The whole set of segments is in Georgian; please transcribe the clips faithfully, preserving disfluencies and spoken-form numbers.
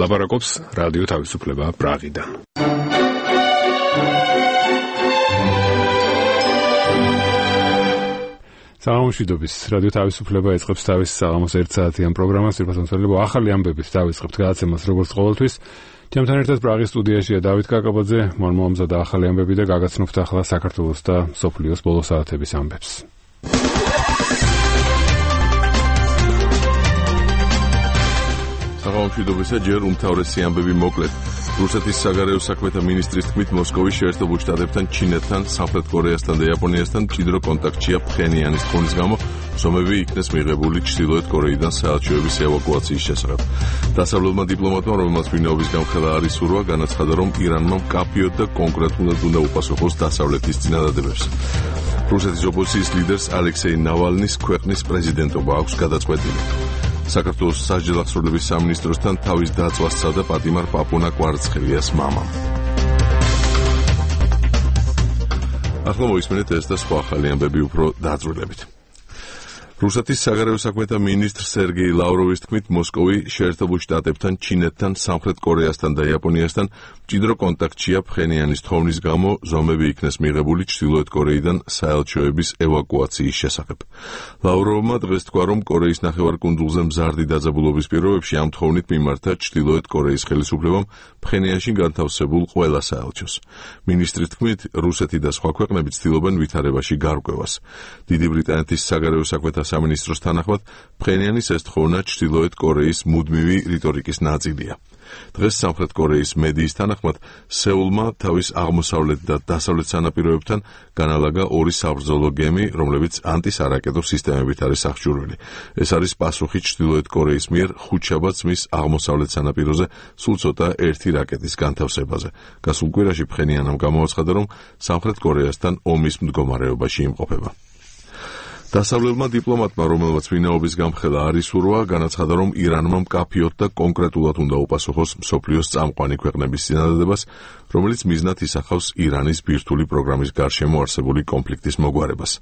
ლაპარაკობს რადიო თავისუფლება პრაღიდან. საღამოშვიდობის რადიო თავისუფლება ეწყებს თავის საღამოს ერთ საათიან პროგრამას, ვირფასამცველებო ახალი ამბების დავიწყებთ გადაცემას როგორც ყოველთვის. ჩემთან ერთად პრაღის სტუდიაშია დავით კაკაბაძე, მან მოამზადა ახალი ამბები და გაგაცნობთ ახლა საქართველოს და სოფლიოს ბოლო საათების ამბებს. საღამოშვიდობისა ჯერ უმთავრესი ამბები მოკლედ. რუსეთის საგარეო საქმეთა მინისტრის თქმით, მოსკოვი შეერთებულ შტატებთან, ჩინეთთან, სამხრეთ კორეასთან და იაპონიასთან მჭიდრო კონტაქტშია ფხენიანის თხოვნის გამო, ზომები იქნეს მიღებული ჩრდილოეთ კორეიდან საელჩოების ევაკუაციის შესახებ. დასავლელმა დიპლომატმა, რომელმაც ვინაობის გამხელა არ ისურვა, განაცხადა, რომ ირანმა მკაფიოდ და კონკრეტულად უნდა უპასუხოს დასავლეთის წინადადებებს. რუსეთის ოპოზიციის ლიდერს ალექსეი ნავალნის ქვეყნის პრეზიდენტობა აქვს გადაწყვეტილი. საქართველოს სასჯელ აღსრულების სამინისტროსთან თავის დაწვას სცადა პატიმარ პაპუნა კვარცხელიას მამამ. ახლა მოისმენთ ეს და სხვა ახალი ამბები უფრო დაწვრილებით. რუსეთის საგარეო საქმეთა მინისტრ სერგეი ლავროვის თქმით, მოსკოვი შეერთებულ შტატებთან, ჩინეთთან, სამხრეთ კორეასთან და იაპონიასთან მჭიდრო კონტაქტშია ფხენიანის თხოვნის გამო, ზომები იქნეს მიღებული ჩრდილოეთ კორეიდან საელჩოების ევაკუაციის შესახებ. ლავროვმა დღეს თქვა, რომ კორეის ნახევარკუნძულზე მზარდი დაძაბულობის პირობებში ამ თხოვნით მიმართა ჩრდილოეთ კორეის ხელისუფლებამ ფხენიანში განთავსებულ ყველა საელჩოს. მინისტრის თქმით, რუსეთი და სხვა ქვეყნები ცდილობენ ვითარებაში გარკვევას. დიდი ბრიტანეთის საგარეო საქმეთა სამინისტროს თანახმად, ფხენიანის ეს თხოვნა ჩრდილოეთ კორეის მუდმივი რიტორიკის ნაწილია. დღეს სამხრეთ კორეის მედიის თანახმად, სეულმა თავის აღმოსავლეთ და დასავლეთ სანაპიროებთან განალაგა ორი საბრძოლო გემი, რომლებიც ანტისარაკეტო სისტემებით არის აღჭურვილი. ეს არის პასუხი ჩრდილოეთ კორეის მიერ ხუთშაბათს მის აღმოსავლეთ სანაპიროზე სულ ცოტა ერთი რაკეტის განთავსებაზე. გასულ კვირაში ფხენიანამ გამოაცხადა, რომ სამხრეთ კორეასთან ომის მდგომარეობაში იმყოფება. დასავლელმა დიპლომატმა, რომელმაც ვინაობის გამხელა არ ისურვა, განაცხადა, რომ ირანმა მკაფიოდ და კონკრეტულად უნდა უპასუხოს მსოფლიოს წამყვანი ქვეყნების წინადადებას, რომელიც მიზნად ისახავს ირანის ბირთვული პროგრამის გარშემო არსებული კონფლიქტის მოგვარებას.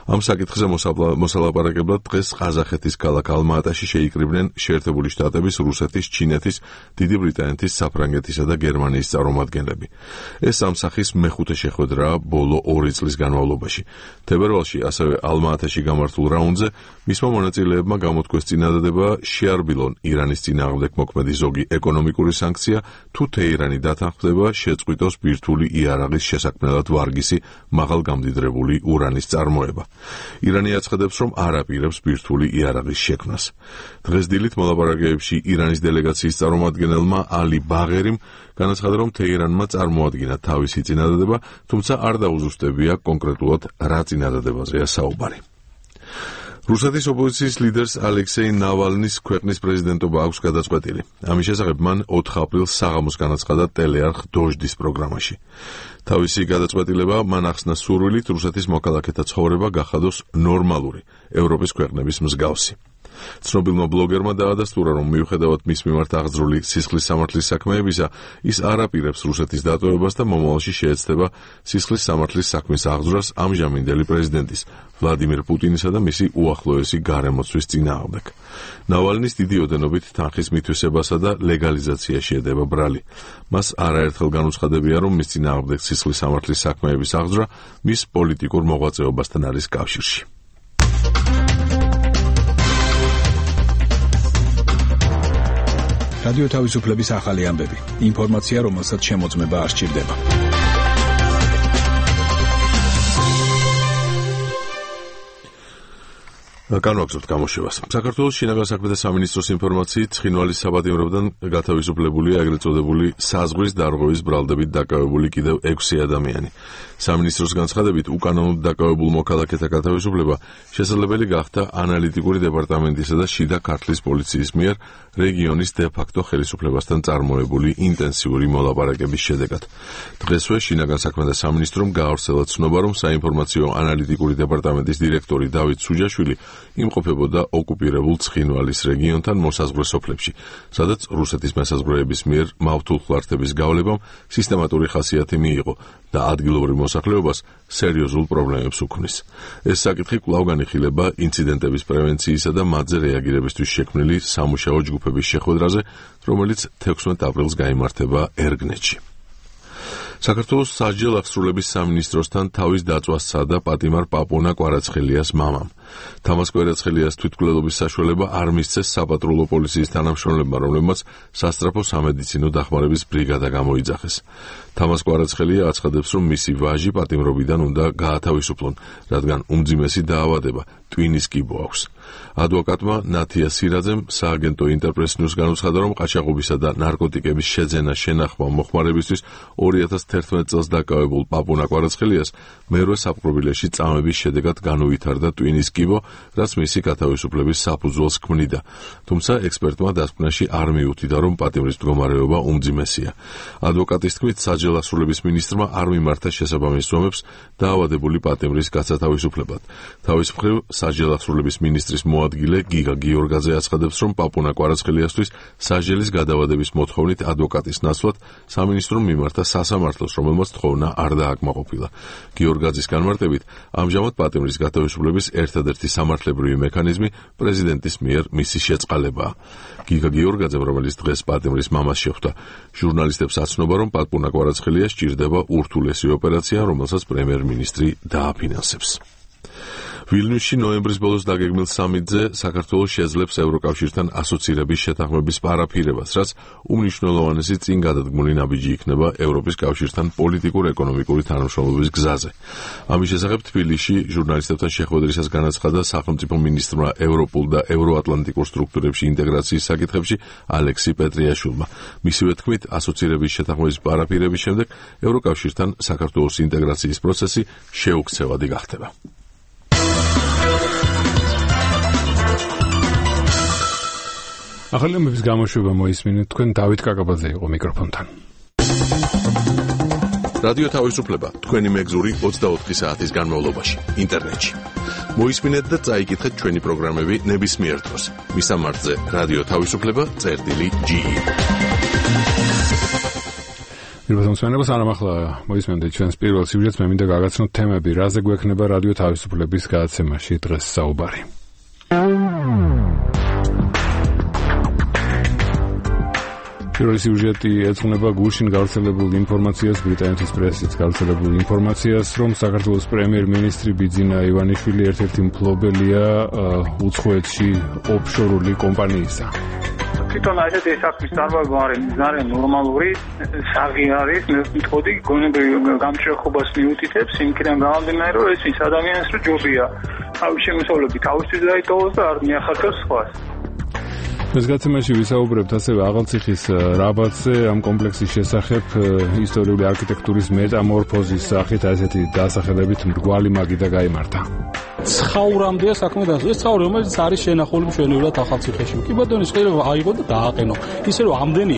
ამ საკითხზე მოსალაპარაკებლად დღეს ყაზახეთის ქალაქ ალმა-ატაში შეიკრიბნენ შეერთებული შტატების, რუსეთის, ჩინეთის, დიდი ბრიტანეთის, საფრანგეთისა და გერმანიის წარმომადგენლები. ეს ამ სახის მეხუთე შეხვედრაა ბოლო ორი წლის განმავლობაში. თებერვალში ასევე ალმა-ატაში გამართულ რაუნდზე მისმა მონაწილეებმა გამოთქვეს წინადადება შეარბილონ ირანის წინააღმდეგ მოქმედი ზოგი ეკონომიკური სანქცია, თუ თეირანი დათანხმდება შეწყვიტოს ბირთვული იარაღის შესაქმნელად ვარგისი მაღალგამდიდრებული ურანის წარმოება. ირანი აცხადებს, რომ არ აპირებს ბირთვული იარაღის შექმნას. დღეს დილით მოლაპარაკებებში ირანის დელეგაციის წარმომადგენელმა ალი ბაღერიმ განაცხადა, რომ თეირანმა წარმოადგინა თავისი წინადადება, თუმცა არ დაუზუსტებია კონკრეტულად რა წინადადებაზეა საუბარი. რუსეთის ოპოზიციის ლიდერს ალექსეი ნავალნის ქვეყნის პრეზიდენტობა აქვს გადაწყვეტილი. ამის შესახებ მან ოთხ აპრილს საღამოს განაცხადა ტელეარხ დოჟდის პროგრამაში. თავისი გადაწყვეტილება მან ახსნა სურვილით რუსეთის მოქალაქეთა ცხოვრება გახადოს ნორმალური, ევროპის ქვეყნების მსგავსი. ცნობილმა ბლოგერმა დაადასტურა, რომ მიუხედავად მის მიმართ აღძრული სისხლის სამართლის საქმეებისა, ის არ აპირებს რუსეთის დატოვებას და მომავალში შეეცდება სისხლის სამართლის საქმის აღძვრას ამჟამინდელი პრეზიდენტის ვლადიმირ პუტინისა და მისი უახლოესი გარემოცვის წინააღმდეგ. ნავალნის დიდი ოდენობით თანხის მითვისებასა და ლეგალიზაციაში ედება ბრალი. მას არაერთხელ განუცხადებია, რომ მის წინააღმდეგ სისხლის სამართლის საქმეების აღძვრა მის პოლიტიკურ მოღვაწეობასთან არის კავშირში. რადიო თავისუფლების ახალი ამბები. ინფორმაცია, რომელსაც შემოწმება არ სჭირდება. განვაგრძობთ გამოშვებას. საქართველოს შინაგან საქმეთა სამინისტროს ინფორმაციით, ცხინვალის საბადიმროდან გათავისუფლებულია ეგრეთ წოდებული საზღვრის დარღვევის ბრალდებით დაკავებული კიდევ ექვსი ადამიანი. სამინისტროს განცხადებით, უკანონოდ დაკავებულ მოქალაქეთა გათავისუფლება შესაძლებელი გახდა ანალიტიკური დეპარტამენტისა და შიდა ქართლის პოლიციის მიერ რეგიონის დე-ფაქტო ხელისუფლებასთან წარმოებული ინტენსიური მოლაპარაკების შედეგად. დღესვე შინაგან საქმეთა სამინისტრომ გაავრცელა ცნობა, რომ საინფორმაციო ანალიტიკური დეპარტამენტის დირექტორი დავით სუჯაშვილი იმყოფებოდა ოკუპირებულ ცხინვალის რეგიონთან მოსაზღვრე სოფლებში, სადაც რუსეთის მესაზღვრეების მიერ მავთულხლართების გავლებამ სისტემატური ხასიათი მიიღო და ადგილობრივ მოსახლეობას სერიოზულ პრობლემებს უქმნის. ეს საკითხი კვლავ განიხილება ინციდენტების პრევენციისა და მათზე რეაგირებისთვის შექმნილი სამუშაო ჯგუფების შეხვედრაზე, რომელიც თექვსმეტ აპრილს გაიმართება ერგნეთში. საქართველოს სასჯელ აღსრულების სამინისტროსთან თავის დაწვას სცადა პატიმარ პაპუნა კვარაცხელიას მამამ. თამაზ კვარაცხელიას თვითმკვლელობის საშუალება არ მისცეს საპატრულო პოლიციის თანამშრომლებმა, რომლებმაც სასწრაფო სამედიცინო დახმარების ბრიგადა გამოიძახეს. თამაზ კვარაცხელია აცხადებს, რომ მისი ვაჟი პატიმრობიდან უნდა გაათავისუფლონ, რადგან უმძიმესი დაავადება ტვინის კიბო აქვს. ადვოკატმა ნათია სირაძემ სააგენტო ინტერპრეს ნიუს განუცხადა, რომ ყაჩაღობისა და ნარკოტიკების შეძენა შენახვა მოხმარებისთვის ორი ათას თერთმეტ წელს დაკავებულ პაპუნა კვარაცხელიას მერვე საპყრობილეში წამების შედეგად განუვითარდა ტვინის კიბო, რაც მისი გათავისუფლების საფუძველს ქმნიდა. თუმცა ექსპერტმა დასკვნაში არ მიუთითა, რომ პატიმრის მდგომარეობა უმძიმესია. ადვოკატის თქმით, სასჯელ აღსრულების მინისტრმა არ მიმართა შესაბამის ზომებს დაავადებული პატიმრის გასათავისუფლებად. თავის მხრივ, სასჯელ აღსრულების მინისტრის მოადგილე გიგა გიორგაძე აცხადებს, რომ პაპუნა კვარაცხელიასთვის სასჯელის გადავადების მოთხოვნით ადვოკატის ნაცვლად სამინისტრომ მიმართა სასამართლოს, რომელმაც თხოვნა არ დააკმაყოფილა. გიორგაძის განმარტებით, ამჟამად პატიმრის გათავისუფლების ერთადერთი სამართლებრივი მექანიზმი პრეზიდენტის მიერ მისი შეწყალებაა. გიგა გიორგაძემ, რომელიც დღეს პატიმრის მამას შეხვდა, ჟურნალისტებს აცნობა, რომ პაპუნა კვარაცხელიას სჭირდება ურთულესი ოპერაცია, რომელსაც პრემიერ-მინისტრი დააფინანსებს. ვილნიუსში ნოემბრის ბოლოს დაგეგმილ სამიტზე საქართველოს შეძლებს ევროკავშირთან ასოცირების შეთანხმების პარაფირებას, რაც უმნიშვნელოვანესი წინ გადადგმული ნაბიჯი იქნება ევროპის კავშირთან პოლიტიკურ-ეკონომიკური თანამშრომლობის გზაზე. ამის შესახებ თბილისში ჟურნალისტებთან შეხვედრისას განაცხადა სახელმწიფო მინისტრმა ევროპულ და ევროატლანტიკურ სტრუქტურებში ინტეგრაციის საკითხებში ალექსი პეტრიაშვილმა. მისივე თქმით, ასოცირების შეთანხმების პარაფირების შემდეგ ევროკავშირთან საქართველოს ინტეგრაციის პროცესი შეუქცევადი გახდება. ახალი ამბების გამოშვება მოისმინეთ, თქვენ დავით კაკაბაძე იყო მიკროფონთან. რადიო თავისუფლება თქვენი მეგზური ოცდაოთხი საათის განმავლობაში ინტერნეტში. მოისმინეთ და წაიკითხეთ ჩვენი პროგრამები ნებისმიერ დროს. მისამართზე რადიო თავისუფლება წერტილი ჯი ი. მოგესალმებით, სანამ ახლა მოისმენთ ჩვენს პირველ სიუჟეტს, მე მინდა გაგაცნოთ თემები, რაზე გვექნება რადიო თავისუფლების გადაცემაში დღეს საუბარი. პირველი სიუჟეტი ეძღვნება გუშინ გავრცელებულ ინფორმაციას, ბრიტანეთის პრესით გავრცელებულ ინფორმაციას, რომ საქართველოს პრემიერ-მინისტრი ბიძინა ივანიშვილი ერთ-ერთი მფლობელია უცხოეთში ოფშორული კომპანიისა. თვითონ ასეთი საქმის წარმოება არის ძალიან ნორმალური, საღი არის, მეთოდი გონებრივ გამჭრეხობას მიუთითებს, იმქიდან გამომდინარე, რომ ეს ის ადამიანს რო ჯობია თავის შემოსავლებით თავისთვის დაიტოვოს და არ მიახარჯოს სხვას. ეს გადაცემაში ვისაუბრებთ ასევე აღალციხის რაბატზე, ამ კომპლექსის შესახებ ისტორიული არქიტექტურის მეტამორფოზის სახით ასეთი დასახელებით მრგვალი მაგიდა გაიმართა. ცხაურამდეა საქმე და ეს ცხაური რომელიც არის შენახული მშვენივრად ახალციხეში. კი ბატონო, შეიძლება აიღო და დააყენო. ისე რომ ამდენი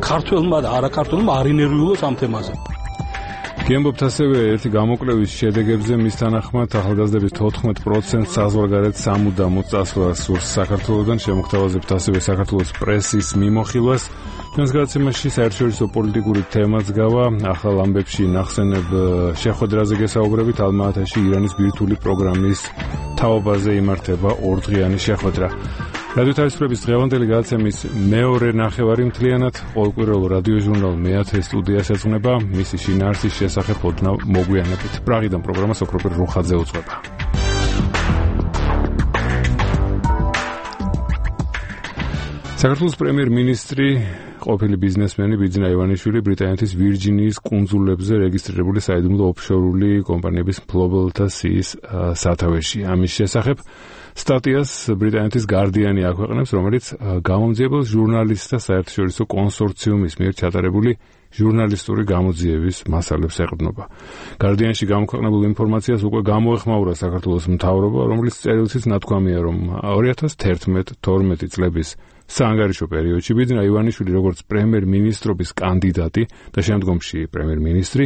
ქართველმა და არაქართველმა არ ინერვიულოს ამ თემაზე. გიამბობთ ასევე ერთი გამოკვლევის შედეგებზე, მის თანახმად ახალგაზრდების თოთხმეტ პროცენტს საზღვარგარეთ სამუდამოდ წასვლას სურს საქართველოდან. შემოგთავაზებთ ასევე საქართველოს პრესის მიმოხილვას. ჩვენს გადაცემაში საერთაშორისო პოლიტიკური თემაც გავა. ახალ ამბებში ნახსენებ შეხვედრაზე გესაუბრებით. ალმა-ათაში ირანის ბირთვული პროგრამის თაობაზე იმართება ორდღიანი შეხვედრა. რადიო თავისუფლების დღევანდელი გადაცემის მეორე ნახევარი მთლიანად ყოველკვირეულ რადიო ჟურნალ მეათე სტუდიას ეძღვნება. მისი შინაარსის შესახებ ოდნავ მოგვიანებით. პრაღიდან პროგრამა სოფროპერ რუხაძე უძღვება. საქართველოს პრემიერ-მინისტრი ყოფილი ბიზნესმენი ბიძინა ივანიშვილი ბრიტანეთის ვირჯინიის კუნძულებზე რეგისტრირებული საიდუმლო ოფშორული კომპანიების მფლობელთა სიის სათავეში. ამის შესახებ სტატიას ბრიტანეთის გარდიანი აქვეყნებს, რომელიც გამომძიებელ ჟურნალისტთა საერთაშორისო კონსორციუმის მიერ ჩატარებული ჟურნალისტური გამოძიების მასალებს ეყრდნობა. გარდიანში გამოქვეყნებულ ინფორმაციას უკვე გამოეხმაურა საქართველოს მთავრობა, რომლის წერილშიც ნათქვამია, რომ ორი ათას თერთმეტ თორმეტი წლების საანგარიშო პერიოდში ბიძინა ივანიშვილი როგორც პრემიერ-მინისტრობის კანდიდატი და შემდგომში პრემიერ-მინისტრი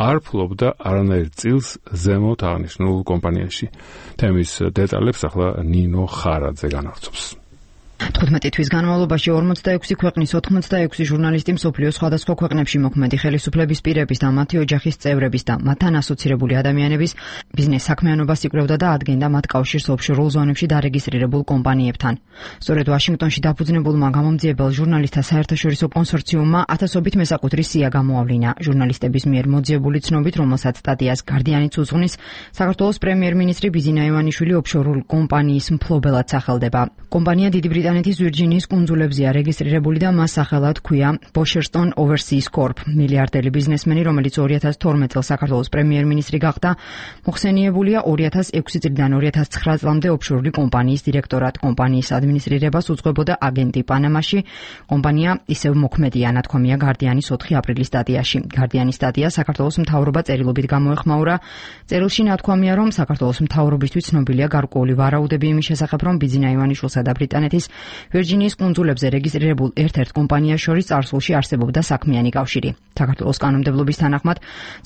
არ ფლობდა არანაირ წილს ზემოთ აღნიშნულ კომპანიაში. თემის დეტალებს ახლა ნინო ხარაძე განავრცობს. თხუთმეტი თვის განმავლობაში ორმოცდაექვსი ქვეყნის ოთხმოცდაექვსი ჟურნალისტი მსოფლიოს სხვადასხვა ქვეყნებში მოქმედი ხელისუფლების პირების და მათი ოჯახის წევრების და მათთან ასოცირებული ადამიანების ბიზნეს საქმიანობას იკვლევდა და ადგენდა მათ კავშირს ოფშორულ ზონებში დარეგისტრირებულ კომპანიებთან. სწორედ ვაშინგტონში დაფუძნებულმა გამომძიებელ ჟურნალისტთა საერთაშორისო კონსორციუმმა ათასობით მესაკუთრი სია გამოავლინა. ჟურნალისტების მიერ მოძიებული ცნობით, რომელსაც სტატიას გარდიანიც უძღვნის, საქართველოს პრემიერ-მინისტრი ბიზინა ივანიშვილი ოფშორულ კომპანიის მფლობელად სახელდება. კომპანია დიდი ბრიტანეთის ვირჯინიის კუნძულებზეა რეგისტრირებული და მას სახელად ჰქვია Bosherstone Overseas Corp. მილიარდელი ბიზნესმენი, რომელიც ორი ათას თორმეტ წელს საქართველოს პრემიერ-მინისტრი გახდა, მოხსენიებულია ორი ათას ექვსი წლიდან ორი ათას ცხრა წლამდე ოფშორული კომპანიის დირექტორად. კომპანიის ადმინისტრირებას უძღვებოდა აგენტი პანამაში. კომპანია ისევ მოქმედია, ნათქვამია გარდიანის ოთხი აპრილის სტატიაში. გარდიანის სტატია საქართველოს მთავრობა წერილობით გამოეხმაურა. წერილში ნათქვამია, რომ საქართველოს მთავრობისთვის ცნობილია გარკვეული ვარაუდები იმის შესახებ, რომ ბიზინა ივანიშვილსა და ბრიტანეთის ვირჯინიის კუნძულებზე რეგისტრირებულ ერთ-ერთ კომპანიას შორის წარსულში არსებობდა საქმიანი კავშირი. საქართველოს კანონმდებლობის თანახმად,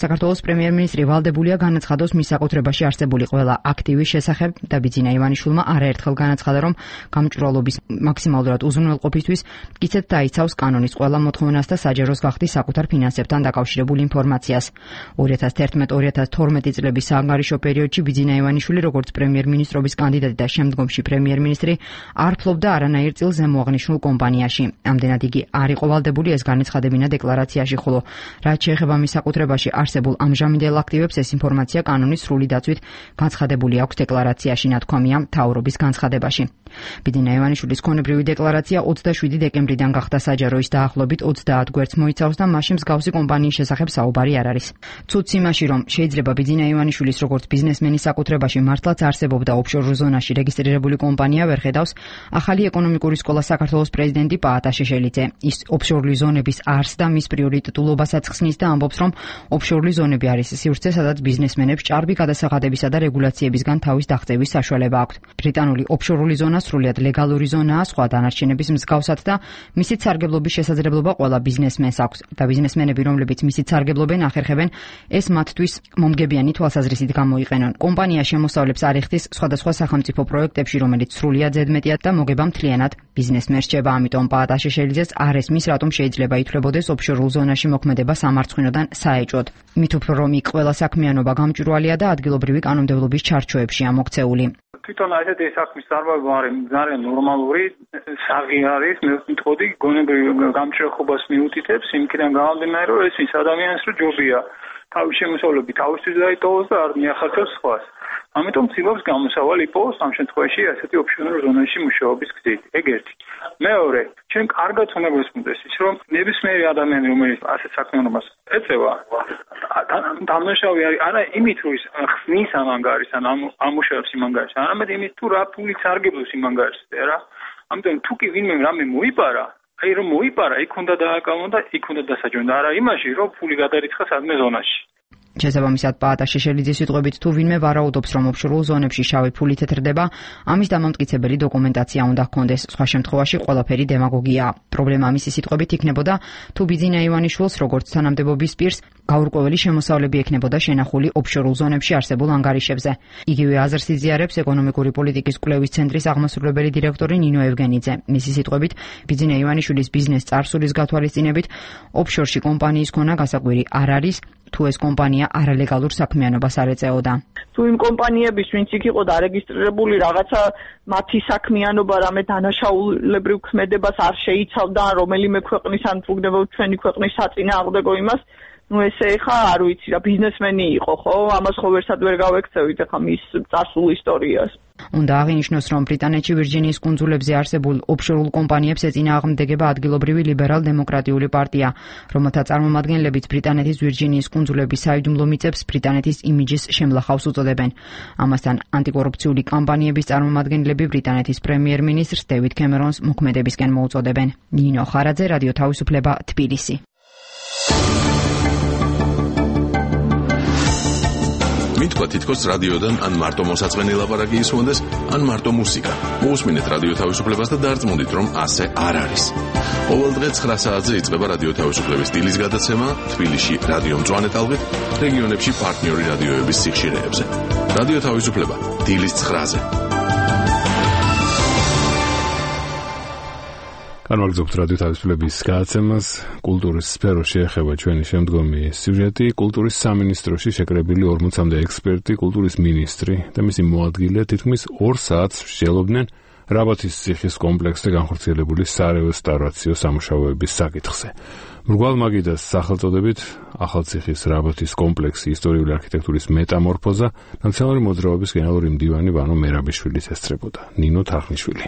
საქართველოს პრემიერ-მინისტრი ვალდებულია განაცხადოს მის საკუთრებაში არსებული ყველა აქტივის შესახებ და ბიზინა ივანიშვილმა არაერთხელ განაცხადა, რომ გამჭვირვალობის მაქსიმალურად უზრუნველყოფისთვის მტკიცედ დაიცავს კანონის ყველა მოთხოვნას და საჯაროს გახდის საკუთარ ფინანსებთან დაკავშირებულ ინფორმაციას. ორი ათას თერთმეტ ორი ათას თორმეტი წლების საანგარიშო პერიოდში ბიზინა ივანიშვილი, როგორც პრემიერ-მინისტრობის კანდიდატი და შემდგომში პრემიერ-მინისტრი, არ ფლობდა არანაირ წილს ზემოაღნიშნულ კომპანიაში. ამდენად იგი არ იყო ვალდებული ეს განეცხადებინა დეკლარაციაში, ხოლო რაც შეეხება მის საკუთრებაში არსებულ ამჟამინდელ აქტივებს, ეს ინფორმაცია კანონის სრული დაცვით განცხადებული აქვს დეკლარაციაში, ნათქვამია მთავრობის განცხადებაში. ბიზინა ივანიშვილის ქონებრივი დეკლარაცია ოცდაშვიდი დეკემბრიდან გახდა საჯარო, ის დაახლოებით ოცდაათ გვერდს მოიცავს და მასში მსგავსი კომპანიის შესახებ საუბარი არ არის. ცუდს იმაში, რომ შეიძლება ბიზინა ივანიშვილის როგორც ბიზნესმენის საკუთრებაში მართლაც არსებობდა ოფშორულ ზონაში რეგისტრირებული კომპანია ვერ ხედავს ახალი ეკონომიკური სკოლა საქართველოს პრეზიდენტი პაატა შეშელიძე. ის ოფშორული ზონების არსს და მის პრიორიტეტულობასაც ხსნის და ამბობს, რომ ოფშორული ზონები არის სივრცე, სადაც ბიზნესმენებს ჭარბი გადასახადებისა და რეგულაციებისგან თავის დაღწევის საშუალება აქვთ. ბრიტანული ოფშორული ზონა სრულიად ლეგალური ზონაა სხვა დანარჩენების მსგავსად და მისით სარგებლობის შესაძლებლობა ყველა ბიზნესმენს აქვს და ბიზნესმენები, რომლებიც მისით სარგებლობენ, ახერხებენ ეს მათთვის მომგებიანი თვალსაზრისით გამოიყენონ. კომპანია შემოსავლებს არ იხდის სხვადასხვა სახელმწიფო პროექტებში, რომელიც სრულიად ზედმეტია და მოგება მთლიანად ბიზნესმენს რჩება. ამიტომ პაატა შეშელიძეს არ ესმის, რატომ შეიძლება ითვლებოდეს ოფშორულ ზონაში მოქმედება სამარცხვინოდან საეჭვოდ. მით უფრო რომ იქ ყველა საქმიანობა გამჭვირვალეა და ადგილობრივი კანონმდებლობის ჩარჩოებშია მოქცეული. თვითონ ასეთი საქმის წარმოება არის ძალიან ნორმალური, საღი არის, მე ვიტყოდი, გონებრივ გამჭრეხობას მიუთითებს, იმქიდან გამომდინარე, რომ ეს ის ადამიანს რო ჯობია თავის შემოსავლები თავისთვის დაიტოვოს და არ მიახარჯოს სხვას. ამიტომ ცდილობს გამოსავალი იპოვოს ამ შემთხვევაში ასეთი ოფშორულ ზონაში მუშაობის გზით. ეგ ერთი. მეორე, ჩვენ კარგად უნდა გვესმოდეს ის, რომ ნებისმიერი ადამიანი, რომელიც ასეთ საქმიანობას ეწევა, დამნაშავე არის არა იმით, რომ ის ხსნის ამ ანგარიშს, ან ამუშავებს იმ ანგარიშს, არამედ იმით, თუ რა ფულით სარგებლობს იმ ანგარიშზე, რა. ამიტომ თუ კი ვინმე რამე მოიპარა, აი რომ მოიპარა, იქ უნდა დააკავონ და იქ უნდა დასაჯონ და არა იმაში, რომ ფული გადარიცხა სადმე ზონაში. შესაბამისად, პაატა შეშელიძის სიტყვებით, თუ ვინმე ვარაუდობს, რომ ოფშორულ ზონებში შავი ფული თეთრდება, ამის დამამტკიცებელი დოკუმენტაცია უნდა ჰქონდეს. სხვა შემთხვევაში ყველაფერი დემაგოგიაა. პრობლემა მისი სიტყვებით იქნებოდა, თუ ბიზინა ივანიშვილს, როგორც თანამდებობის პირს, გაურკვეველი შემოსავლები ექნებოდა შენახული ოფშორულ ზონებში არსებულ ანგარიშებზე. იგივე აზრს იზიარებს ეკონომიკური პოლიტიკის კვლევის ცენტრის აღმასრულებელი დირექტორი ნინო ევგენიძე. მისი სიტყვებით, ბიზინა ივანიშვილის ბიზნეს წარსულის გათვალისწინებით, ოფშორში კომპანიის ქონა გასაკვირი არ არის, თუ ეს კომპანია არალეგალურ საქმიანობას არ ეწეოდა. თუ იმ კომპანიების, ვინც იქ იყო დარეგისტრირებული, რაღაცა მათი საქმიანობა რამე დანაშაულებრივ ქმედებას არ შეიცავდა, რომელიმე ქვეყნის ან თუგდება ჩვენი ქვეყნის საწინააღმდეგო იმას, ну ესე ხა არ ვიცი რა ბიზნესმენი იყო ხო ამას ხო ვერსად ვერ გავექცევით ხა მის წარსულ ისტორიას. უნდა აღინიშნოს, რომ ბრიტანეთში ვირჯინიის კუნძულებზე არსებულ ოფშორულ კომპანიებს ეწინააღმდეგება ადგილობრივი ლიბერალ-დემოკრატიული პარტია, რომელთა წარმომადგენლებიც ბრიტანეთის ვირჯინიის კუნძულების საიდუმლო მიწებს ბრიტანეთის იმიჯის შემლახავს უწოდებენ. ამასთან ანტიკორუფციული კამპანიების წარმომადგენლები ბრიტანეთის პრემიერ-მინისტრს დევიდ კემერონს მოქმედებისკენ მოუწოდებენ. ნინო ხარაძე, რადიო თავისუფლება, თბილისი. მითქვა თითქოს რადიოდან ან მარტო მოსაწყენი ლაპარაკი ისმოდეს, ან მარტო მუსიკა. მოусმინეთ რადიო თავისუფლებას და დარწმუნდით, რომ ასე არ არის. ყოველ დღე ცხრა საათზე იწყება რადიო თავისუფლების დილის გადაცემა თბილისში რადიო მწვანე ტალღით, რეგიონებში პარტნიორი რადიოების სიხშირეებზე. რადიო თავისუფლება დილის ცხრაზე. განვაგრძობთ რადიო თავისუფლების გადაცემას. კულტურის სფეროში ეხება ჩვენი შემდგომი სიუჟეტი. კულტურის სამინისტროში შეკრებილი ორმოცამდე ექსპერტი, კულტურის მინისტრი და მისი მოადგილე თითქმის ორ საათს მსჯელობდნენ რაბათის ციხის კომპლექსზე განხორციელებული სარესტავრაციო სამუშაოების საკითხზე. მრგვალ მაგიდას სახელწოდებით ახალციხის რაბათის კომპლექსი ისტორიული არქიტექტურის მეტამორფოზა ნაციონალური მოძრაობის გენერალური მდივანი ვანო მერაბიშვილის ესწრებოდა. ნინო თარხნიშვილი.